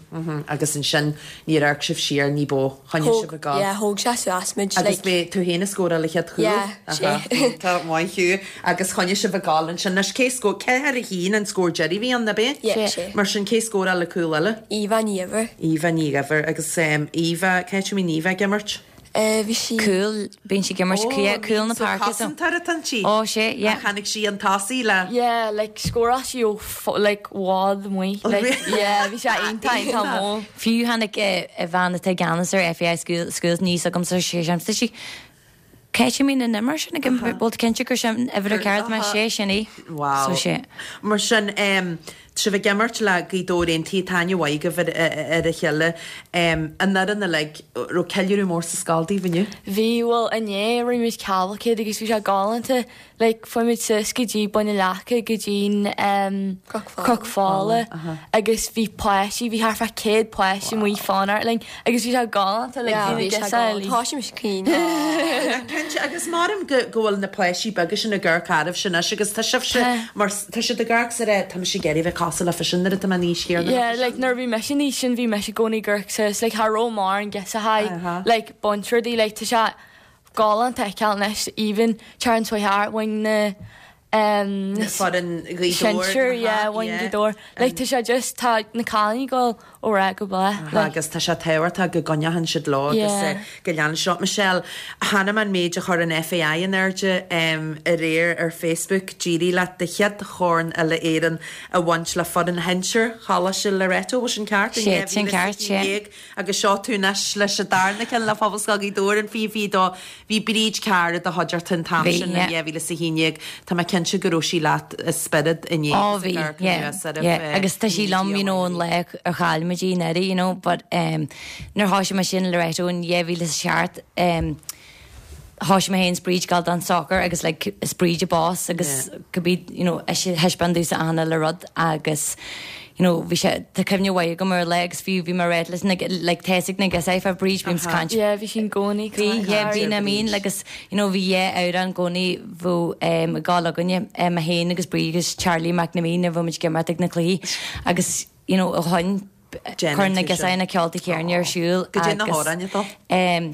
[SPEAKER 1] Agus ansin níor amharc sibh siar ní bó, choinnigh sibh ag gabháil.
[SPEAKER 9] Yeah, thóg sé suas muid,
[SPEAKER 1] Agus like. b'é tú féin a scóráil an chéad chúl?
[SPEAKER 9] Yeah, sé.
[SPEAKER 1] Tá maith thú. Agus choinnigh sibh ag gabháil ansin. Anois cé scór, 4-1 an scór deiridh a bhí ann, ab é?
[SPEAKER 9] Yeah, sé.
[SPEAKER 1] Mar sin cé scóráil an cúl eile?
[SPEAKER 9] Eva Ní Dhuibhir.
[SPEAKER 1] Eva Ní Dhuibhir. Agus Eva, cá háit a mbíonn Eva ag imirt?
[SPEAKER 9] Bhí sí.
[SPEAKER 7] Cúl, bíonn sí ag imirt
[SPEAKER 1] Ó,
[SPEAKER 7] cúl na
[SPEAKER 1] so
[SPEAKER 7] páirce so.
[SPEAKER 1] cosantóir atá inti?
[SPEAKER 7] Ó, sé, yeah.
[SPEAKER 1] Ach tháinig sí chun tosaigh le.
[SPEAKER 8] Yeah, like scóráil sí ó like i bhfad amuigh. Like, yeah, bhí sé iontach, iontach mór.
[SPEAKER 7] Fiú tháinig a bhean atá i gceannas ar FAI Schools aníos chugamsa sé sin, tá sí Cá háit a mbíonn an imreoir sin ag imirt, bhfuil tú cinnte gur sin uimhir a ceart mar sé sin í.
[SPEAKER 1] Wow.
[SPEAKER 7] So sé.
[SPEAKER 1] Mar sin, tá sibh ag imirt le Gaoth Dobhair Aontaithe, tá aithne mhaith agaibh ar a chéile. An fhoireann uilig, raibh ceiliúradh mór sa scoil daoibh inniu?
[SPEAKER 8] Bhí, bhuel inné rinne muid cavalcade agus bhí sé galánta. Like fuaigh muid suas go dtí Bun na Leaca go dtí'n em Cnoc Fola agus bhí páistí, bhí thart fá 100 páiste amuigh ag fanacht linn agus bhí sé galánta like bhí na girseachaí.
[SPEAKER 9] Tá sé mise caoin.
[SPEAKER 1] Cinnte agus maram go go bhfuil na páistí beaga sin ag amharc oraibhse anois agus tá sibhse mar tá siad ag amharc is ag rá tá mise ag iarraidh bheith cosúil leofa sin nuair atá mé an aois chéanna.
[SPEAKER 8] Yeah like nuair a bhí mise an aois sin bhí mise i gcónaí ag amharc suas like cha raibh mórán girseachaí like baint rudaí like tá sé galánta a fheiceáil anois even Terence White bhain na em
[SPEAKER 1] Foireann Ghaoth Dobhair
[SPEAKER 8] sinsir yeah bhain Gaoth Dobhair like tá sé just tá na cailíní ag dul ó rath go bláth like.
[SPEAKER 1] Agus tá sé tábhachtach go gcoinneoidh siad leo agus
[SPEAKER 8] Yeah.
[SPEAKER 1] go leanann siad. Michelle, chonaic mé an méid a chuir an FAI in airde aréir ar Facebook, d'éirigh leat do chéad chorn uile-Éireann a bhaint le foireann shinsir Choláiste Loreto, bhfuil sin ceart?
[SPEAKER 7] Sé, sin ceart, sé.
[SPEAKER 1] Agus seo tú anois leis an darna ceann le Pobalscoil Ghaoth Dobhair in 2022. Bhí Bríd Carr i do chuideachta an t-am
[SPEAKER 7] Bhí,
[SPEAKER 1] sin in
[SPEAKER 7] yeah.
[SPEAKER 1] 2011. Tá mé cinnte go raibh sí leat i spiorad inné
[SPEAKER 7] Ó
[SPEAKER 1] agus
[SPEAKER 7] bhí,
[SPEAKER 1] ag amharc
[SPEAKER 7] yeah,
[SPEAKER 1] anuas oraibh
[SPEAKER 7] yeah. Agus tá sí liom, you know, an lá ar chaill muid í anuraidh, you know, but um, nuair thoisigh mé sin Loreto in 2007, um, thoisigh mé féin is Bríd ag gabháil don soccer agus like is Bríd an boss agus cibé you know ise thaispeáin domhsa achan uile rud agus you know bhí sé tá cuimhne mhaith agam ar an lá agus fiú bhí mé réidh leis na like tá fhios ag na girseachaí fá Bríd bím ag caint
[SPEAKER 8] Yeah bhí sí i gcónaí
[SPEAKER 7] Bhí yeah bhí na mín agus you know bhí dhá amhrán i gcónaí bheadh em ag gabháil againne em mé féin agus Bríd agus Charlie McNamee nuair a bhí muid ag imeacht ag na cluichí agus you know ó shoin Cuireann na girseachaí na ceolta céanna ar siúl
[SPEAKER 1] Goidé na hamhráin atá.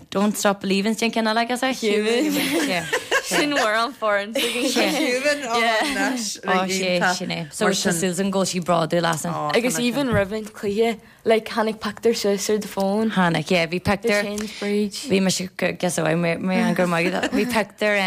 [SPEAKER 7] Don't Stop Believin' sin ceann eile agus
[SPEAKER 8] Human. Sin amhrán foireann
[SPEAKER 1] Human
[SPEAKER 7] Ó sé sin é. So tá súil agam go bhfuil sí bródúil asainn.
[SPEAKER 8] Agus even roimh an cluiche like tháinig pictiúr suas ar do phone.
[SPEAKER 7] Tháinig yeah bhí pictiúr bhí mise guess away mé an gur maith bhí pictiúr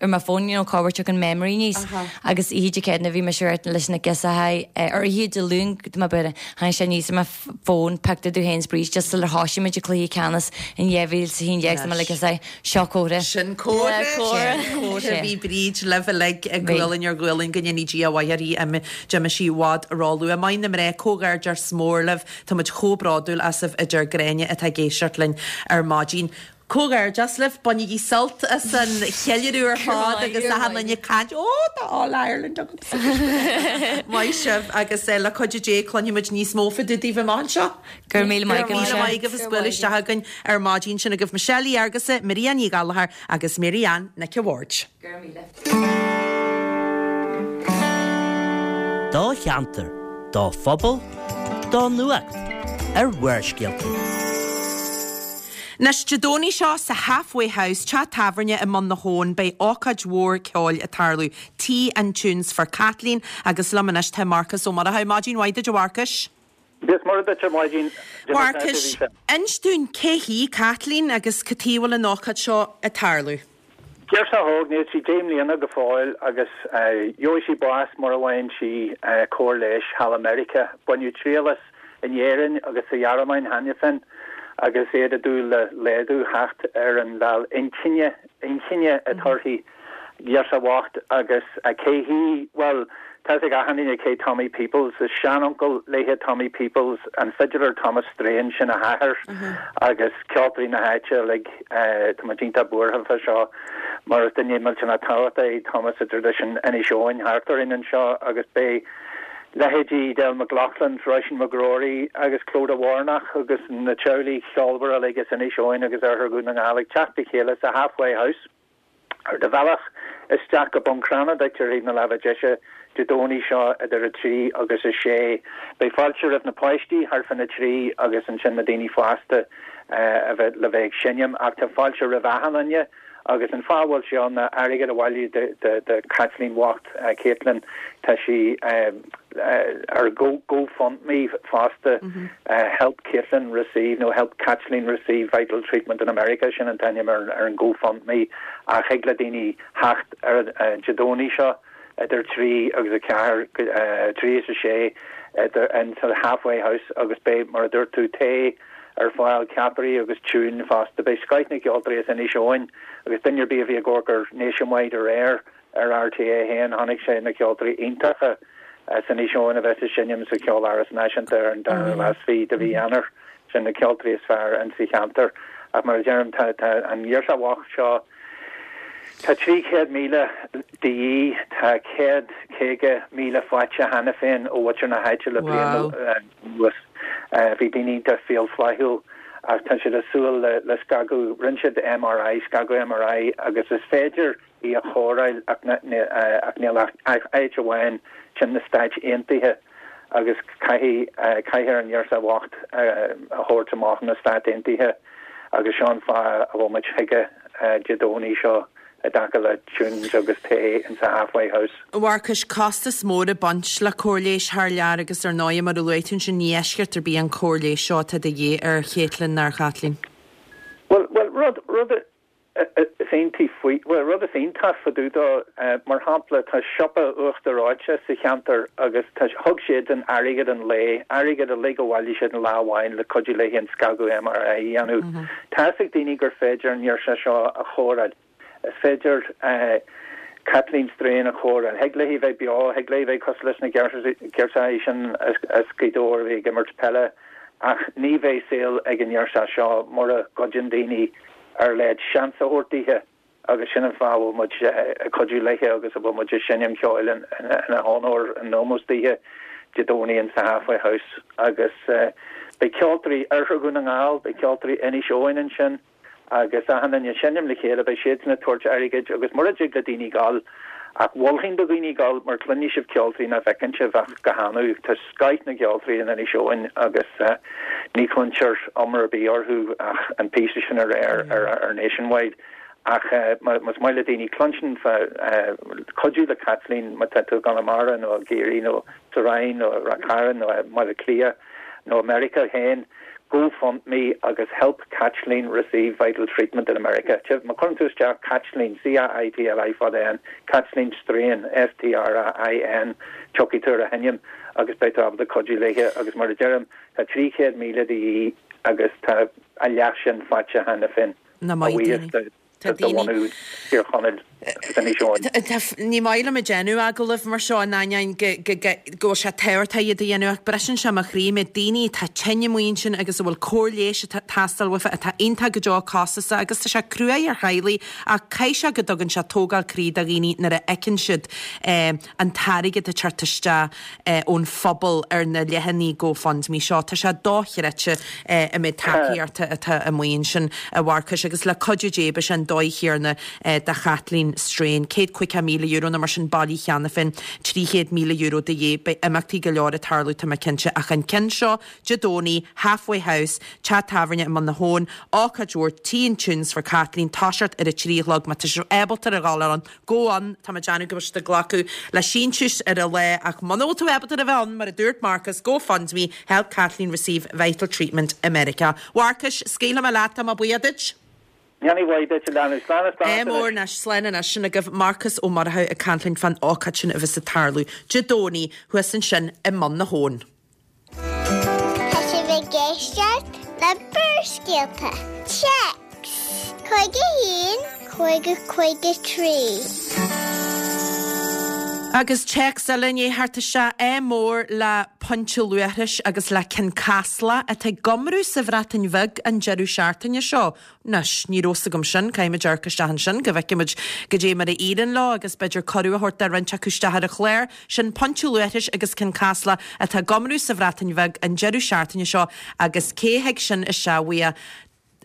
[SPEAKER 7] ar mo phone you know cá bhfuair tú an memory níos agus oíche Dé Céadaoine bhí mise ar leis na girseachaí ar oíche Dé Luain go mba b'fhéidir Tháinig sé aníos ar mo fón, pictiúr domh féin is Bríd just sular thoisigh muid an cluiche ceannais in 2011 is mé like is é seo comhartha.
[SPEAKER 1] Sin comhartha, sin comhartha. Bhí Bríd libh uilig ag gualainn ar ghualainn go ndéanaí Dia a mhaith uirthi, d'imigh sí i bhfad róluath. Maith na mná, comhghairdeas mór libh, tá muid chomh bródúil asaibh a deir Gráinne atá ag éisteacht linn ar maidin. Comhghairdeas libh, bainigí sult as an cheiliúradh ar fad agus achan duine ag caint, Ó, tá All Ireland agamsa! Maith sibh agus le cuidiú Dé cluinfidh muid níos mó fá dtaobh daoibh amach anseo.
[SPEAKER 7] Go raibh míle maith agat,
[SPEAKER 1] Go raibh míle maith agaibh as bualadh isteach againn ar maidin. Sin agaibh Michelle Uí Fhearghusa, Maria Ní Ghallchóir agus Mary Ann Nic a' Bhaird.
[SPEAKER 7] Go raibh míle.
[SPEAKER 5] Do cheantar, do phobal, do nuacht ar Bharrscéalta.
[SPEAKER 1] Anois, Dé Domhnaigh seo sa Halfway House, teach tábhairne i mBun na hAbhann, beidh ócáid mhór ceoil ag tarlú, Tea and Tunes for Kathleen, agus liom anois tá Marcas Ó Murchú. Maidin mhaith duit a Mharcais.
[SPEAKER 10] Dia is Muire duit ar maidin.
[SPEAKER 1] Mharcais, inis dúinn cé hí Kathleen agus cad chuige a bhfuil an ócáid seo ag tarlú?
[SPEAKER 10] Girseach óg, níl sí 10 mbliana go fóill agus gheobhaidh sí bás mura bhfaigheann sí cóir leighis thall i Meiriceá. Baineadh triail as in Éirinn agus sa Ghearmáin cheana féin agus iad ag dúil le laghdú theacht ar an mheall inchinne, inchinne atá uirthi. Girseach bhocht agus cé hí? Bhuel, tá fhios ag achan duine cé Tommy Peoples. Is seanuncail léithe Tommy Peoples, an fidiléir Thomas Strahan, sin a hathair agus ceoltóirí na háite uilig. Tá muid iontach buartha fá seo mar is duine millteanach tábhachtach é Thomas i dtraidisiún Inis Eoghain thart orainn anseo agus beidh. Leithéidí Edel McLaughlin, Róisín McGrory agus Clodagh Warnock agus na teaghlaigh cheolmhara uilig as Inis Eoghain agus Oirthear Dhún na nGall ag teacht le chéile sa Halfway House ar do bhealach isteach go Bun Cranncha duit ar thaobh na láimhe deise Dé Domhnaigh seo idir 3 agus 6. Beidh fáilte roimh na páistí thart fána 3 agus ansin na daoine fásta a bheith le bheith ag seinm ach tá fáilte roimh achan duine. Agus an fáth a bhfuil sé ann ná airgead a bhailiú do Chaitlín bhocht, Caitlin, tá sí ar GoFundMe fosta, Help Caitlin Receive nó Help Caitlín Receive Vital Treatment in America, sin an t-ainm ar an GoFundMe ach thig le daoine theacht ar Dé Domhnaigh seo idir 3 agus 4, 3 is 6 in sa Halfway House agus beidh, mar a dúirt tú, tae, ar fáil, ceapairí agus tiúin fosta. Beidh scoith na gceoltóirí as Inis Eoghain agus duine ar bith a bhí ag amharc ar Nationwide aréir ar RTÉ 1, chonaic sé na ceoltóirí iontacha as Inis Eoghain a bheas ag seinm sa Cheoláras Náisiúnta ar an dara lá is fiche de mhí Eanáir. Sin na ceoltóirí is fearr insa cheantar. Ach mar a deirim, tá an ghirseach bhocht seo, tá 300,000 de dhíth, tá 150,000 faighte cheana féin ó mhuintir na háite le bliain anuas. Bhí daoine iontach fial flaithiúil ach tá siad ag súil le scagadh, rinne siad MRI, scagadh MRI agus is féidir í a chóireáil ach níl ach áit amháin, sin na Stáit Aontaithe agus caithfidh, caithfear an ghirseach bhocht a thabhairt amach na Stáit Aontaithe agus seo an fáth a bhfuil muid chuige Dé Domhnaigh seo. i dtaca le tunes agus tae in sa Halfway House.
[SPEAKER 1] A Mharcais, costas mór ag baint le cóir leighis thar lear agus ar ndóigh, mar a luaigh tú ansin, ní eisceacht ar bith an cóir leighis seo atá de dhíth ar Chaitlín ná ar Chaitlín.
[SPEAKER 10] Bhuel, bhuel, rud, rud is iontaí faoi, bhuel, rud is iontach fá dtaobh dó, mar shampla, tá siopa Uachtar Reoite sa cheantar agus tá, thug siadsan airgead an lae, airgead uilig a bhailigh siad in lá amháin le cuidiú léi an scagadh MRI a dhéanamh. Tá fhios ag daoine gur féidir an ghirseach seo a chóireáil. Is féidir Caitlín Strain a chóireáil. Thig léi bheith beo, thig léi bheith cosúil leis na girseachaí sin as Gaoth Dobhair a bhí ag imirt peile, ach ní bheidh saol ag an ngirseach seo mura gcuidíonn daoine ar leid seans a thabhairt dithe agus sin an fáth a bhfuil muid ag cuidiú léithe agus a bhfuil muid ag seinm ceoil ina honóir, in ómós dithe Dé Domhnaigh in sa Halfway House agus beidh ceoltóirí Oirthear Dhún na nGall, beidh ceoltóirí Inis Eoghain ansin. agus achan duine ag seinm le chéile, beidh siadsan ag tabhairt airgid agus mura dtig le daoine gabháil, ach mholfainn do dhaoine gabháil mar cluinfidh sibh ceoltóirí nach bhfeiceann sibh ach go hannamh. Tá scoith na gceoltóirí in Inis Eoghain agus ní chluintear iomrá ar bith orthu ach an píosa sin aréir ar Nationwide. Ach más maith le daoine cluinstin fá cuidiú le Caitlín má tá tú i gConamara nó i gCiarraí nó sa Rinn nó i Ráth Chairn nó i mBaile Átha Cliath nó i Meiriceá féin, GoFundMe agus Help Caitlín Receive Vital Treatment in America. Má chuireann tú isteach Caitlín, C-A-I-T-L-I fada N, Caitlín Strain, S-T-R-A-I-N, tiocfaidh tú ar a hainm agus beidh tú ábalta cuidiú léithe agus mar a deirim, tá 300,000 de dhíth agus tá a leath sin faighte cheana féin.
[SPEAKER 1] Na maith daoine. Tá daoine.
[SPEAKER 10] Thír Chonaill agus Inis
[SPEAKER 1] Eoghain. Ní maith liom ag déanamh agallaimh mar seo in ainneoin go bhfuil sé tábhachtach iad a dhéanamh ach briseann sé mo chroí mé daoine atá tinn amuigh ansin agus a bhfuil cóir leighis ag teastáil uafa atá iontach go deo costasach agus tá sé cruaidh ar theaghlaigh ach caithfidh sé go dtugann sé tógáil croí do dhaoine nuair a fheiceann siad an t-airgead ag teacht isteach ón phobal ar na leathanaigh GoFundMe seo. Tá sé dochreidte an méid tacaíochta atá amuigh ansin, a Mharcais, agus le cuidiú Dé beidh sé an dóigh chéanna do Chaitlín Strain. €150,000 nó mar sin bailithe cheana féin, €300,000 de dhíth. Beidh imeachtaí go leor ag tarlú, tá mé cinnte, ach an ceann seo, Dé Domhnaigh, Halfway House, teach tábhairne i mBun na hAbhann, ócáid mhór, Tea and Tunes for Kathleen, toiseacht ar a 3 a chlog, má tá sibh ábalta a ghabháil ann, Gabh ann, tá mé ag déanamh go bhfuil siad ag glacadh le síntiúis ar an lá ach muna bhfuil tú ábalta a bheith ann, mar a dúirt Marcus, GoFundMe, Help Kathleen Receive Vital Treatment i Meiriceá. Mharcais, scaoilfidh mé leat, tá mé buíoch duit.
[SPEAKER 10] Ndéanaí mhaith duit, a leanbh. Slán is beannacht
[SPEAKER 1] Ádh mór
[SPEAKER 10] anois.
[SPEAKER 1] anois, slán anois. Sin agaibh Marcus Ó Murchú ag caint linn fán ócáid sin a bheas ag tarlú Dé Domhnaigh thuas ansin i mBun na hAbhann.
[SPEAKER 3] Tá sibh ag éisteacht le Barrscéalta. Téacs 51 50 53.
[SPEAKER 1] Agus téacs eile i ndiaidh theacht isteach, ádh mór le. Pointe Luaithris agus le Cionn Caslach atá ag iomrú sa Bhreatain Bheag an deireadh seachtaine seo. Anois, ní raibh 's agam sin, caithfimid amharc isteach ansin go bhfeicfimid goidé mar a éiríonn leo agus b'fhéidir cuireadh a thabhairt do roinnt acu isteach ar an chlár. Sin Pointe Luaithris agus Cionn Caslach atá ag iomrú sa Bhreatain Bheag an deireadh seachtaine seo agus cé a thig sin isteach uaidh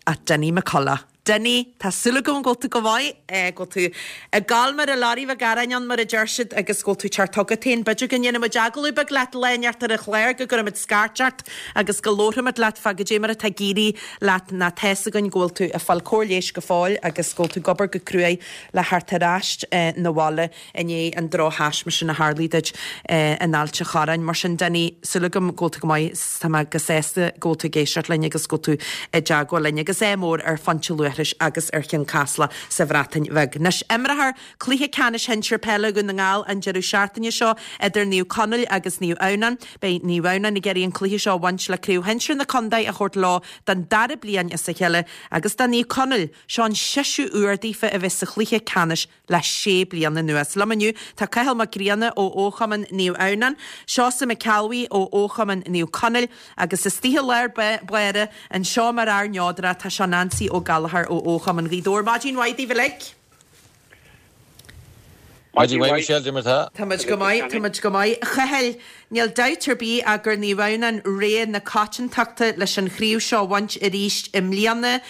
[SPEAKER 1] ach Dinny McCullough. Dinny, tá súil agam go bhfuil tú go maith, go bhfuil tú ag gabháil mar a lorry bheag aráin ann mar a deir siad agus go bhfuil tú ag teacht chugat féin. B'fhéidir go ndéanfaidh muid agallamh beag leat lá inteacht ar an chlár, go gcuirfimid scairt ort agus go labharfaimid leat fá goidé mar atá ag éirí leat nó tá's againn go bhfuil tú ag fáil cóir leighis go fóill agus go bhfuil tú ag obair go cruaidh le theacht ar ais 'na bhaile. i ndiaidh an drochthaisme sin a tharlaigh duit in Ailt a' Chorráin. Mar sin, Dinny, súil agam go bhfuil tú go maith. Tá mé go sásta go bhfuil tú ag éisteacht linn agus go bhfuil tú i dteagmháil linn. Agus ádh mór ar Phointe Luaithris agus ar Chionn Caslach sa Bhreatain Bheag. Anois, imreofar Cluiche Ceannais Shinsir Peile Dhún na nGall an deireadh seachtaine seo idir Naomh Conaill agus Naomh Adhamhnáin. Beidh Naomh Adhamhnáin ag iarraidh an cluiche seo a bhaint le Craobh Shinsir na Contae a thabhairt leo don dara bliain as a chéile agus do Naomh Conaill, seo an seisiú uair daofa a bheith sa chluiche ceannais le sé bliana anuas. Liom inniu tá Cathal Mac Grianna ó Fhochumann Naomh Adhamhnáin, Seosamh Mac Ceallbhuí ó Fhochumann Naomh Conaill agus istigh i lár báire anseo mar fhear neodrach tá seo Neansaí Ó Gallchóir ó Fhochumann Ghaoth Dobhair. Maidin mhaith daoibh uilig.
[SPEAKER 11] Maidin mhaith Michelle, cad é mar tá?
[SPEAKER 1] Tá muid go maith, tá muid go maith. A Chathail, níl dabht ar bith ach gur Naomh Adhamhnáin rogha na coitiantachta leis an chraobh seo a bhaint arís i mbliana.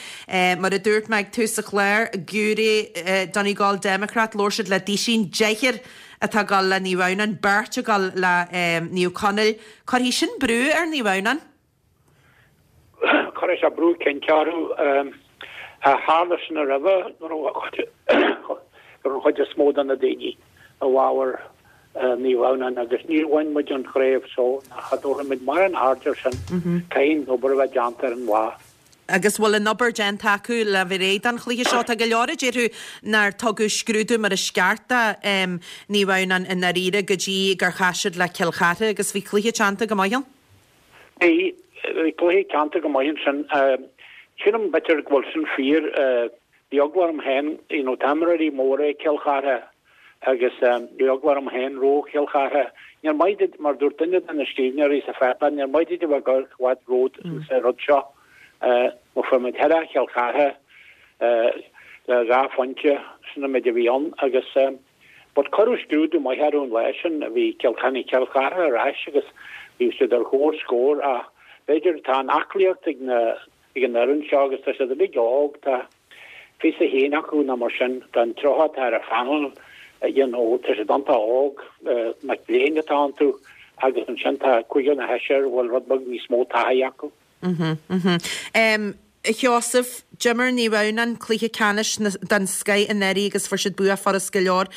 [SPEAKER 1] Mar a dúirt mé ag tús an chláir, giúiré Donegal Democrat, labhair siad le Duisín, deichniúr atá ag dul le Naomh Adhamhnáin, beirt ag dul le Naomh Conaill. Cuirfidh sin brú ar Naomh Adhamhnáin.
[SPEAKER 12] Cuirfidh sé brú cinnte orthu. Tharla sin roimhe go raibh an chuid is mó de na daoine i bhfabhar Naomh Adhamhnáin agus níor bhain muid an chraobh so cha dtabharfaidh muid mórán aird air sin. Caithfidh an obair a bheith déanta ar an lá.
[SPEAKER 1] Agus bhfuil an obair déanta acu le bheith réidh don chluiche seo? Tá go leor a déarfadh nár tugadh scrúdú mar is ceart do Naomh Adhamhnáin i ndáiríre go dtí gur chas siad le Cill Chartha agus bhí cluiche teannta go maith ann.
[SPEAKER 12] Bhí cluiche teannta go maith ansin. Sílim b'fhéidir go bhfuil sin fíor. Bhí eagla orm féin, you know, tá imreoirí móra ag Cill Chartha agus bhí eagla orm féin roimh Chill Chartha. Níor mhaith duit, mar dúirt duine de na scríbhneoirí sa pháipéar, níor mhaith duit a bheith ag amharc i bhfad romhat sa rud seo. Má fuair muid thoir Chill Chartha le dhá phointe, sin an méid a bhí ann agus But cuireadh scrúdú maith orthu an lá sin, bhí Cill tháinig Cill Chartha ar ais agus bhí siad ar chomhscór ach b'fhéidir tá an aclaíocht ag na ag an fhoireann seo agus tá siad uilig óg, tá 21 acu nó mar sin, tá an 30 atá ar an phanel, you know, tá siad iontach óg, mic léinn atá iontu agus ansin tá cúigear nó seisear a bhfuil rud beag níos mó taithí acu.
[SPEAKER 1] A Sheosaimh, d'imir Naomh Adhamhnáin cluiche ceannais den scoith anuraidh agus fuair siad bua furast go leor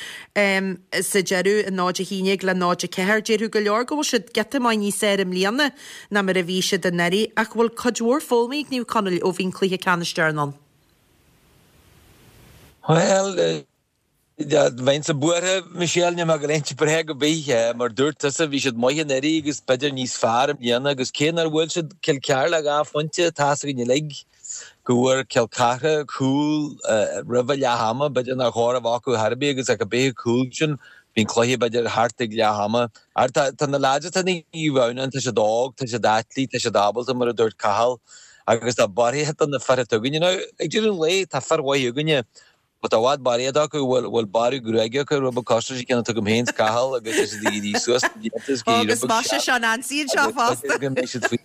[SPEAKER 1] sa deireadh, 0-11 le 0-4. Déarfadh go leor go bhfuil siad giota maith níos fearr i mbliana ná mar a bhí siad anuraidh, ach bhfuil cuid mhór foghlamtha ag Naomh Conaill ó bhí an cluiche ceannais deireanach ann?
[SPEAKER 11] Bhuel, Bheinnse buartha, Michelle, níl mé ag gabháil a inse bréag ar bith. Mar dúirt tusa, bhí siad maith anuraidh agus b'fhéidir níos fearr i mbliana agus cé nár bhuail siad Cill Chartha le dhá phointe, tá's againn uilig go bhfuair Cill Chartha cúl roimh a leath ama, b'fhéidir nár chóir a bheith acu ar bith agus ach cibé an cúl sin, bhí an cluiche b'fhéidir thart ag leath ama. Tá na leaids atá i Naomh Adhamhnáin, tá siad óg, tá siad aclaí, tá siad ábalta mar a dúirt Cathal agus tá barraíocht de na fir atá againne. Now, ag deireadh an lae, tá fir mhaith againne But tá i bhfad barraíocht acu a bhfuil bearradh gruaige acu, rud beag cosúil leis an gceann atá agam féin is Cathal agus tá siad ag éirí suas na blianta is ag éirí
[SPEAKER 1] rud beag sean. Seo Nancy anseo fosta.
[SPEAKER 11] Go mbeidh siad faoi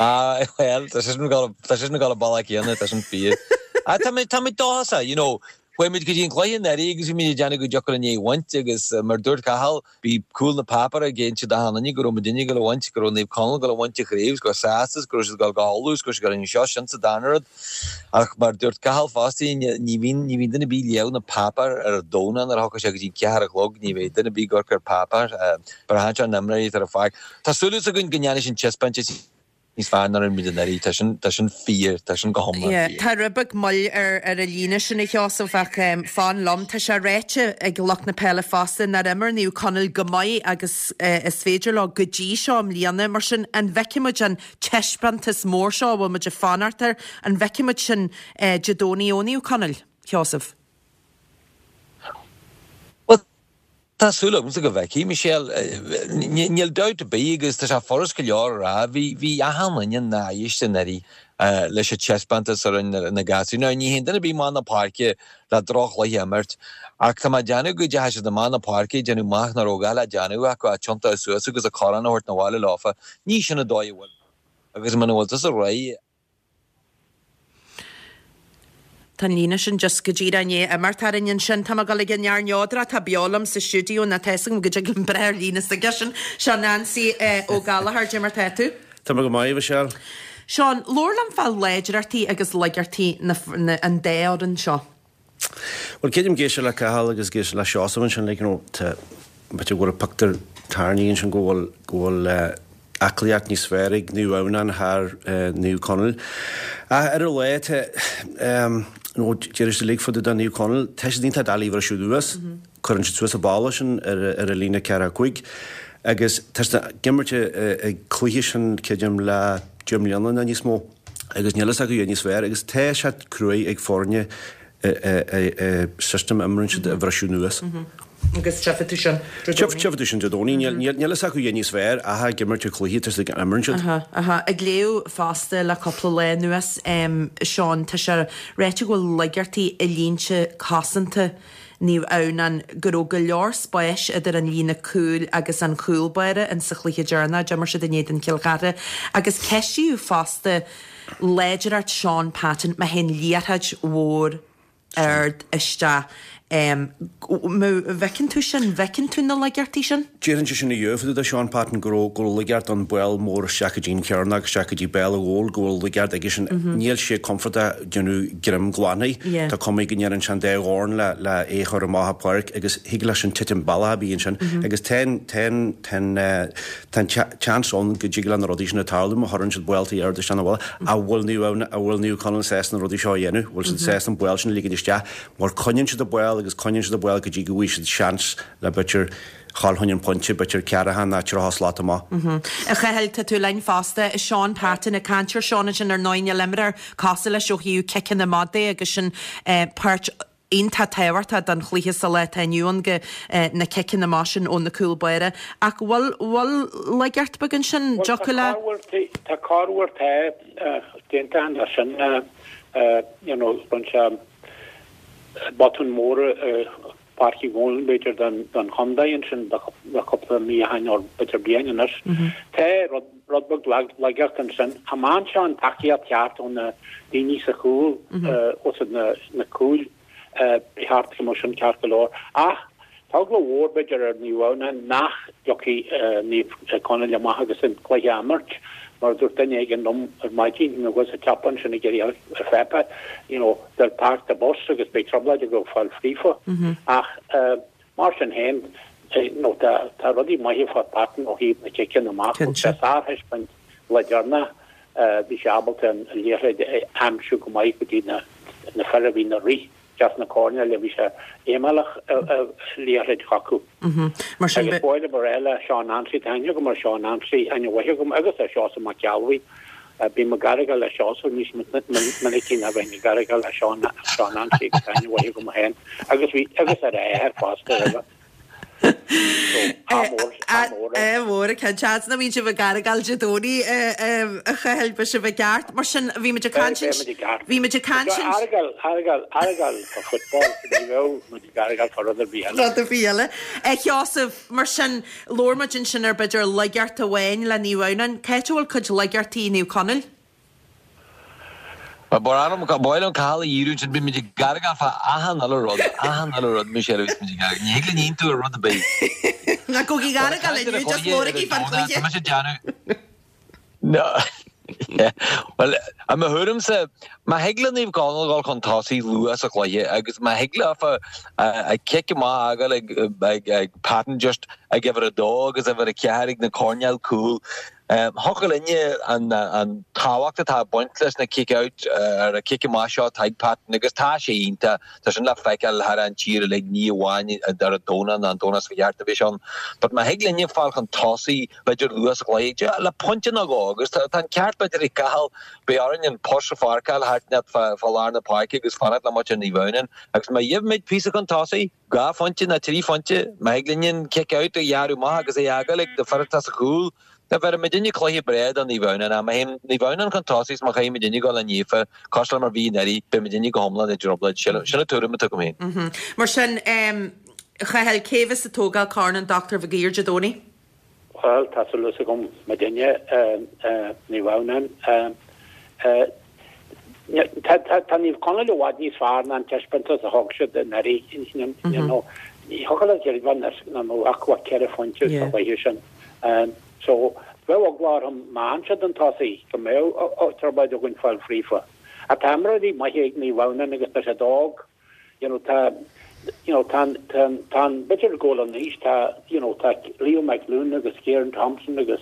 [SPEAKER 11] Ah, well, tá sé sin ag dul an bealach céanna, tá sin fíor. Ah, tá mé, tá mé dóchasach, you know. Chuaigh muid go dtí an cluiche anuraidh agus bhí muid ag déanamh go dtiocfadh linn é a bhaint agus mar dúirt Cathal, Bhí cúl na páipéar ag inse d'achan duine go raibh muidinne ag dul a bhaint, go raibh Naomh Conaill ag dul a bhaint an chraobh, is go raibh sásta is go raibh siad ag dul go hUladh is go raibh siad ag dul anseo, sin sa darna rud. Ach mar dúirt Cathal fosta, ní bhíonn, ní bhíonn duine ar bith ag léamh na páipéar ar an Domhnach nuair a thiocfas sé go dtí an ceathair a chlog, ní bheidh duine ar bith ag amharc ar páipéar. Braitheann sé ar na imreoirí atá ar an pháirc. Tá súil againn go ndéanfaidh sin taispeántas. níos fearr ná a rinne muid anuraidh. Tá sin, tá sin fíor, tá sin go hiomlán
[SPEAKER 1] Yeah,
[SPEAKER 11] fíor.
[SPEAKER 1] tá rud beag moill ar ar an líne sin a Sheosaimh ach fan liom, tá sé ráite ag lucht na peile fosta nár imir Naomh Conaill chomh maith agus is féidir leo go dtí seo i mbliana. Mar sin, an bhfeicfidh muid an taispeántas mór seo a bhfuil muid ag fanacht air, an bhfeicfidh muid sin Dé Domhnaigh ó Naomh Conaill, Sheosaimh?
[SPEAKER 11] Bhuel. Tá súil agamsa go bhfeicfidh, Michelle. Níl dabht ar bith agus tá sé furast go leor a rá, bhí, bhí achan duine náiste anuraidh leis an taispeántas a rinne na gasúir. Now ní théann duine ar bith amach na páirce le droch-chluiche a imirt ach tá mé ag déanamh go dteachaigh siad amach na páirce ag déanamh amach nach raibh a dhath le déanamh acu ach tiontú suas agus an corn a thabhairt 'na bhaile leofa. Ní sin an dóigh a bhfuil agus muna bhfuil tusa réidh,
[SPEAKER 1] Tá an líne sin just go díreach i ndiaidh imeacht orainn ansin. Tá mé ag dul ag an fhear neodrach atá beo liom sa stiúideo nó tá fhios agam go dtig liom breith ar líne s'aigesean. Seán Ansaí Ó Gallchóir, cad é mar tá tú?
[SPEAKER 13] Tá mé go maith, a Mhichelle.
[SPEAKER 1] Seán, labhair liom fá láidreachtaí agus laigeachtaí na, an dá fhoireann seo.
[SPEAKER 13] Bhuel, creidim ag éisteacht le Cathal agus ag éisteacht le Seosamh ansin, like, you know, tá, b'fhéidir go bhfuil pictiúr tarraingthe ansin go bhfuil, go bhfuil eh, aclaíocht níos fearr ag Naomh Adhamhnáin thar eh, Naomh Conaill. Ach ar a laghad tá, em, you know, deir siad uilig fá dtaobh de Naomh Conaill, tá siad iontach doiligh a bhriseadh anuas, cuireann siad suas an balla sin ar, ar an líne 4 5 agus tá siad ag imirt an cluiche sin, creidim, le 10 mbliana nó níos mó. agus níl fhios acu a dhath níos fearr agus tá sé cruaidh ag foirne system a imríonn siad a bhriseadh anuas.
[SPEAKER 1] Agus tchífidh tú sin
[SPEAKER 13] Dé Domhnaigh. Tchífidh tú sin Dé Domhnaigh. Níl fhios acu a dhath níos fearr ach ag imirt an chluiche tá siad ag imríonn siad.
[SPEAKER 1] Aha. Ag léamh fosta le cúpla lá anuas, Seán, tá sé ráite go bhfuil laigeachtaí i línte cosanta Naomh Adhamhnáin, go raibh go leor spáis idir an líne cúil agus an chúl báire in sa chluiche deireanach a d'imir siad in éadan Chill Chartha agus ceistíodh fosta láidreacht Shaun Patton má théann liathróid mhór ard isteach. An bhfeiceann tú sin? Bhfeiceann tú na laigeachtaí sin?
[SPEAKER 13] Déarfainnse sin inniu fá dtaobh de Shaun Patton go raibh go raibh laigeacht an ball mór isteach go dtí an chearnóg, isteach go dtí béal an ghóil, go bhfuil laigeacht aige sin. Níl sé compordach déanamh greim glan air. Tá cuma go ndéanann sé an dá dhorn le le é a chur amach an pháirc agus thig leis sin titim bealach a bhí ansin agus tá an tá an tá an tá an seans ann go dtig le na rudaí sin a tarlú má chuireann siad balltaí ard isteach na bhfuil an bhfuil Naomh an bhfuil Naomh Conaill sásta na rudaí seo a dhéanamh, bhfuil siad sásta an ball sin a ligean isteach mar coinníonn siad an ball agus coinníonn siad an ball go dtí go bhfaighidh siad seans le b'fhéidir dhul chun an pointe, b'fhéidir ceathracha nó 30 slat amach.
[SPEAKER 1] A Chathail, tá tú linn fosta. Shaun Patton ag caint ar Seán ansin ar ndóigh níl imreoir cosúil leis ó thaobh ciceanna amach de agus sin páirt iontach tábhachtach don chluiche sa lá atá inniu ann go na ciceanna amach sin ó na cúl báire. Ach bhfuil bhfuil laigeacht beag ansin?
[SPEAKER 12] Bhuel tá
[SPEAKER 1] le.
[SPEAKER 12] corruair tá corruair tá déanta ann leis sin you know rinne sé botún mór i Páirc Uí Dhónaill b'fhéidir don chontae ansin le cúpla mí ó shin nó b'fhéidir bliain anois. Tá rud beag laigeacht ansin. Cha mbeann sé an tacaíocht cheart ó na daoine sa chúl, os na cúil, ba cheart go mbeadh sin ceart go leor. Ach tá eagla mhór b'fhéidir ar Naomh Adhamhnáin nach dtiocfaidh Naomh Conaill amach agus an cluiche a imirt. Mar a dúirt duine éigin liom ar maidin, bhí mé ag dul sa tsiopa ansin ag iarraidh ar pháipéar, you know, they'll park the bus agus beidh trioblóid acu fáil fríofa. Ach mar sin féin, you know, tá tá rudaí maithe fá Patton ó thaobh na ciceanna amach. Thug sé sárthaispeáint lá deireanach, bhí sé ábalta an liathróid a aimsiú go maith go dtí na na fir a bhí ina rith. isteach sna coirnéil a bhí sé imeallach liathróid chucu.
[SPEAKER 1] Mar sin
[SPEAKER 12] Agus ba mhaith liom a rá le Seán Ansaí, tá aithne agam ar Seán Ansaí, aithne mhaith agam, agus ar Sheosamh Mac Ceallbhuí. Bím ag argáil le Seosamh níos minicí ná bheinn ag argáil le Seán Seán Ansaí agus tá aithne mhaith agam féin agus bhí agus ar a athair fosta roimhe. Ádh mór, ádh mór air.
[SPEAKER 1] Ádh mór, cinnte. Seans nach mbíonn sibh ag argáil Dé Domhnaigh, a Chathail, beidh sibh i gceart. Mar sin, bhí muid ag caint
[SPEAKER 12] Beidh muid i gceart.
[SPEAKER 1] Bhí muid ag caint
[SPEAKER 12] Seo argáil, argáil, argáil fá football, ní bheadh muid ag argáil fá rud ar bith eile.
[SPEAKER 1] Rud ar bith eile. A Sheosaimh, mar sin, labhair muid ansin ar b'fhéidir laigeacht amháin le Naomh Adhamhnáin. Cá háit a bhfuil cuid laigeachtaí Naomh Conaill?
[SPEAKER 11] Ba mhaith liom Cathal a dhíriú ansin, bíonn muid ag argáil fá achan uile rud, achan uile rud, Michelle, a bhíos muid ag argáil. Ní thig linn aontú ar rud ar bith.
[SPEAKER 1] Ná gabhaigí ag argáil inniu, just labhraigí fán chluiche.
[SPEAKER 11] Tá mise ag déanamh. No. Bhuel, i mo thuairimse, má thig le Naomh Conaill dhul chun tosaigh luath sa chluiche agus má thig leofa a cic amach a fhágáil ag Patton just ag uimhir a dó agus uimhir a ceathair ag na coirnéil cúil. Thiocfadh linne an tábhacht atá ag baint leis na kick out ar an cic amach seo atá ag Patton agus tá sé iontach, tá sin le feiceáil thar an tír uilig, ní amháin ar an Domhnach ná an Domhnach seo chuaigh thart a bhí sé ann. But má thig linne fáil chun tosaigh, b'fhéidir luath sa chluiche, le pointe nó dhó agus tá an ceart b'fhéidir ag Cathal, beidh orainn an post a pháirceáil thart fá lár na páirce agus fanacht le muintir Naomh Adhamhnáin agus má gheibhimid píosa chun tosaigh, 2 phointe nó 3 phointe, má thig linn an kick out a ghearradh amach agus é a fhágáil ag na fir atá sa chúl, tá bheir muidinne cluiche breá do Naomh Adhamhnáin. Ach má théann Naomh Adhamhnáin chun tosaigh is má chaithfidh muidinne dul le naofa, cosúil le mar bhí anuraidh, beidh muidinne go hiomlán i dtrioblóid. Sin an tuairim atá agam
[SPEAKER 1] féin. Mar sin, a Chathail, cé bheas ag tógáil Corn an Dr Mhig Uidhir Dé Domhnaigh?
[SPEAKER 12] Bhuel, tá súil agam muidinne, Naomh Adhamhnáin. Tá Naomh Conaill i bhfad níos fearr ná an taispeántas a thug siad anuraidh. You know, ní thiocfadh leat creidiúint nach mbeadh acu ach 4 phointe sa chluiche sin. So, bheadh eagla orm má théann siad chun tosaigh go mbeadh trioblóid againn fáil fríofa. Ach tá imreoirí maithe ag Naomh Adhamhnáin agus tá siad óg. you know tá you know tá tá tá an b'fhéidir go bhfuil an aois tá you know tá Leo McLoone agus Ciarán Thompson agus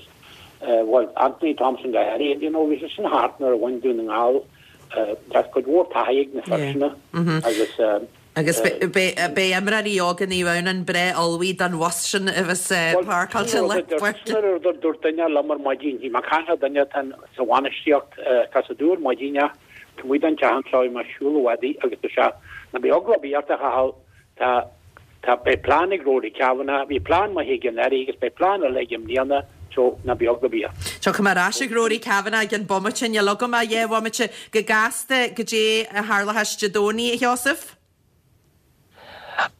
[SPEAKER 12] eh bhuel Anthony Thompson go háirithe you know bhí sé sin thart nuair a bhain Dún na nGall eh tá cuid mhór taithí ag na fir sin agus eh
[SPEAKER 1] Agus beidh imreoirí óga Naomh Adhamhnáin breá ullmhaithe don bhus sin a bheas páirceáilte i lár
[SPEAKER 12] páirce. Sin rud a dúirt duine liom ar maidin, bhí mé ag caint le duine atá sa bhainistíocht atá sa dúr maidin Taobh amuigh den teach anseo bhí mé ag siúl i bhfad agus tá sé, ná bíodh eagla ar bith ort a Chathail, tá, tá, beidh plean ag Rory Kavanagh, bhí plean maith aige anuraidh agus beidh plean eile aige i mbliana, so ná bíodh eagla ar bith ort.
[SPEAKER 1] Tiocfaidh mé ar ais ag Rory Kavanagh i gceann bomaite, níl agam ach dhá bhomaite. Go gasta, goidé a tharlóchas Dé Domhnaigh, a Sheosaimh?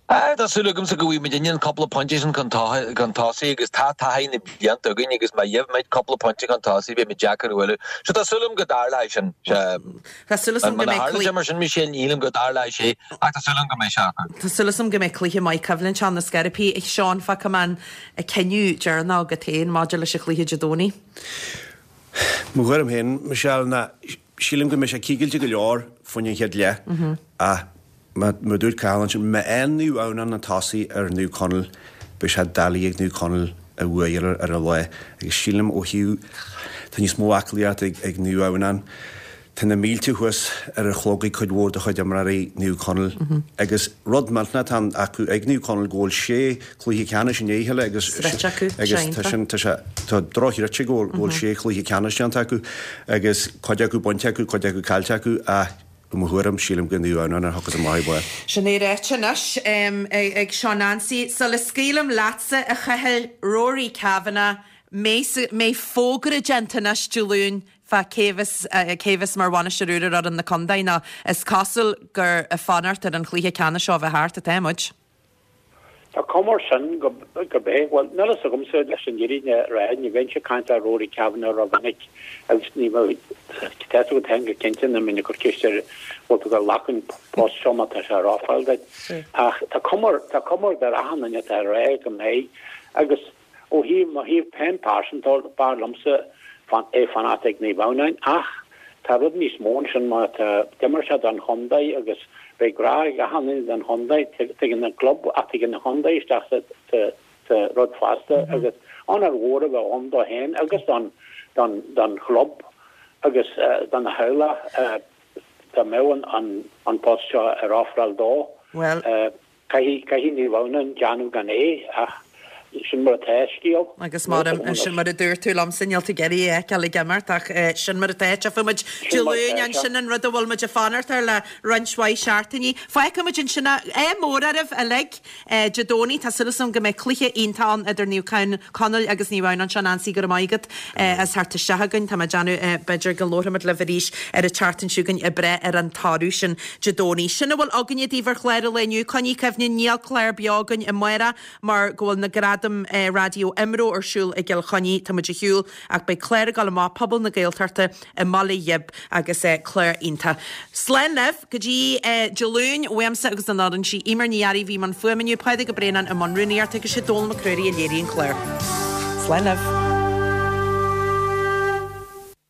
[SPEAKER 11] Tá súil agamsa go bhfaighidh muidinne an cúpla pointe sin chun tosaigh agus tá taithí na blianta againn agus má gheibhimid cúpla pointe chun tosaigh beidh muid deacair a bhualadh. So tá súil agam go dtarlóidh sin.
[SPEAKER 1] Tá súil agam go
[SPEAKER 11] mbeidh cluiche. Mar sin Michelle ní shílim go dtarlóidh sé ach tá súil agam go mbeidh sé acu.
[SPEAKER 1] Tá súil agam go mbeidh cluiche maith coimhlinte ann ar scor ar bith. A Sheáin, fágfaidh mé an cinneadh deireanach agat féin maidir leis an chluiche Dé Domhnaigh.
[SPEAKER 13] Mo thuairim féin, Michelle, ná Sílim go mbeidh sé cigilte go leor faoin an chéad leath ach mar a dúirt Cathal ansin, má fhaigheann Naomh Adhamhnáin chun tosaigh ar Naomh Conaill, beidh sé doiligh ag Naomh Conaill a bhuaidh ar an lá agus sílim ó thaobh, tá níos mó aclaíocht ag Naomh Adhamhnáin, tá na mílte thuas ar an chlog ag cuid mhór de chuid imreoirí Naomh Conaill agus rud millteanach atá acu ag Naomh Conaill go bhfuil sé cluiche ceannais i ndiaidh a chéile agus agus tá sin tá sé tá drochthreite go bhfuil sé chluiche ceannais déanta acu agus cuid acu bainte acu, cuid acu caillte acu ach i mo thuairim sílim go Naomh Adhamhnáin a thiocfas amach ag barr.
[SPEAKER 1] Sin é ráite anois ag Seán Ansaí. Sula scaoilim leatsa, a Chathail, Rory Kavanagh, mbeidh fógra déanta anois Dé Luain fá cé bheas cé bheas mar bhainisteoir úr ar fhoireann na contae nó is cosúil gur ag fanacht ar an chluiche ceannais seo a bheith thart atá muid.
[SPEAKER 12] Tá cuma air sin go mbeidh. Bhuel, níl a fhios agamsa leis an fhírinne a rá, ní bheinnse ag caint le Rory Kavanagh rómhinic agus ní bheadh, tá fhios agat féin go cinnte nach mbeinn ag cur ceist air bhfuil tú ag glacadh an post seo má tá sé ar ofráil duit. Ach tá cuma, tá cuma ar achan duine atá ag rá go mbeidh agus Ó thaobh mo thaobh féin pearsanta, b'fhearr liomsa é fanacht ag Naomh Adhamhnáin ach tá rud níos mó ansin mar tá, d'imir sé don chontae agus beidh grá ag achan duine don chontae, tagann an club ach tagann an chontae isteach sa sa rud fosta agus onóir mhór a bheadh ann dó féin agus don don don chlub agus dona theaghlach dá mbeadh an an post seo ar ofráil dó.
[SPEAKER 1] Bhuel.
[SPEAKER 12] Caithfidh, caithfidh Naomh Adhamhnáin déanamh gan é, ach sin mar atá an scéal.
[SPEAKER 1] Agus mar, sin mar a dúirt tú liomsa, níl tú ag iarraidh é a fheiceáil ag imeacht ach sin mar atá. Tchífidh muid Dé Luain ansin an rud a bhfuil muid ag fanacht air le roinnt mhaith seachtainí. Fágfaidh muid ansin é. Ádh mór oraibh uilig Dé Domhnaigh. Tá súil agam go mbeidh cluiche iontach ann idir Naomh Conaill agus Naomh Adhamhnáin. Seán Ansaí, go raibh maith agat as theacht isteach chugainn. Tá mé ag déanamh b'fhéidir go labharfaimid libh arís ar an tseachtain seo chugainn ag breith ar an toradh sin Dé Domhnaigh. Sin a bhfuil againne daoibh ar chlár an lae inniu. Coinnigh cuimhne, níl clár beo againn amárach mar go bhfuil na Gradaim Raidió IMRO ar siúl i gCill Chainnigh. Tá muid ar shiúl ach beidh clár ag dul amach, Pobal na Gaeltachta i mBaile Ghib agus clár iontach. Slán libh go dtí Dé Luain uaimse agus an fhoireann. Sí Eimear Ní Fhearraigh a bhí i mbun fuaime inniu, Pádraig Ó Braonáin i mbun rúnaíochta agus sé Dónal Mac Ruairí a léirigh an clár. Slán libh.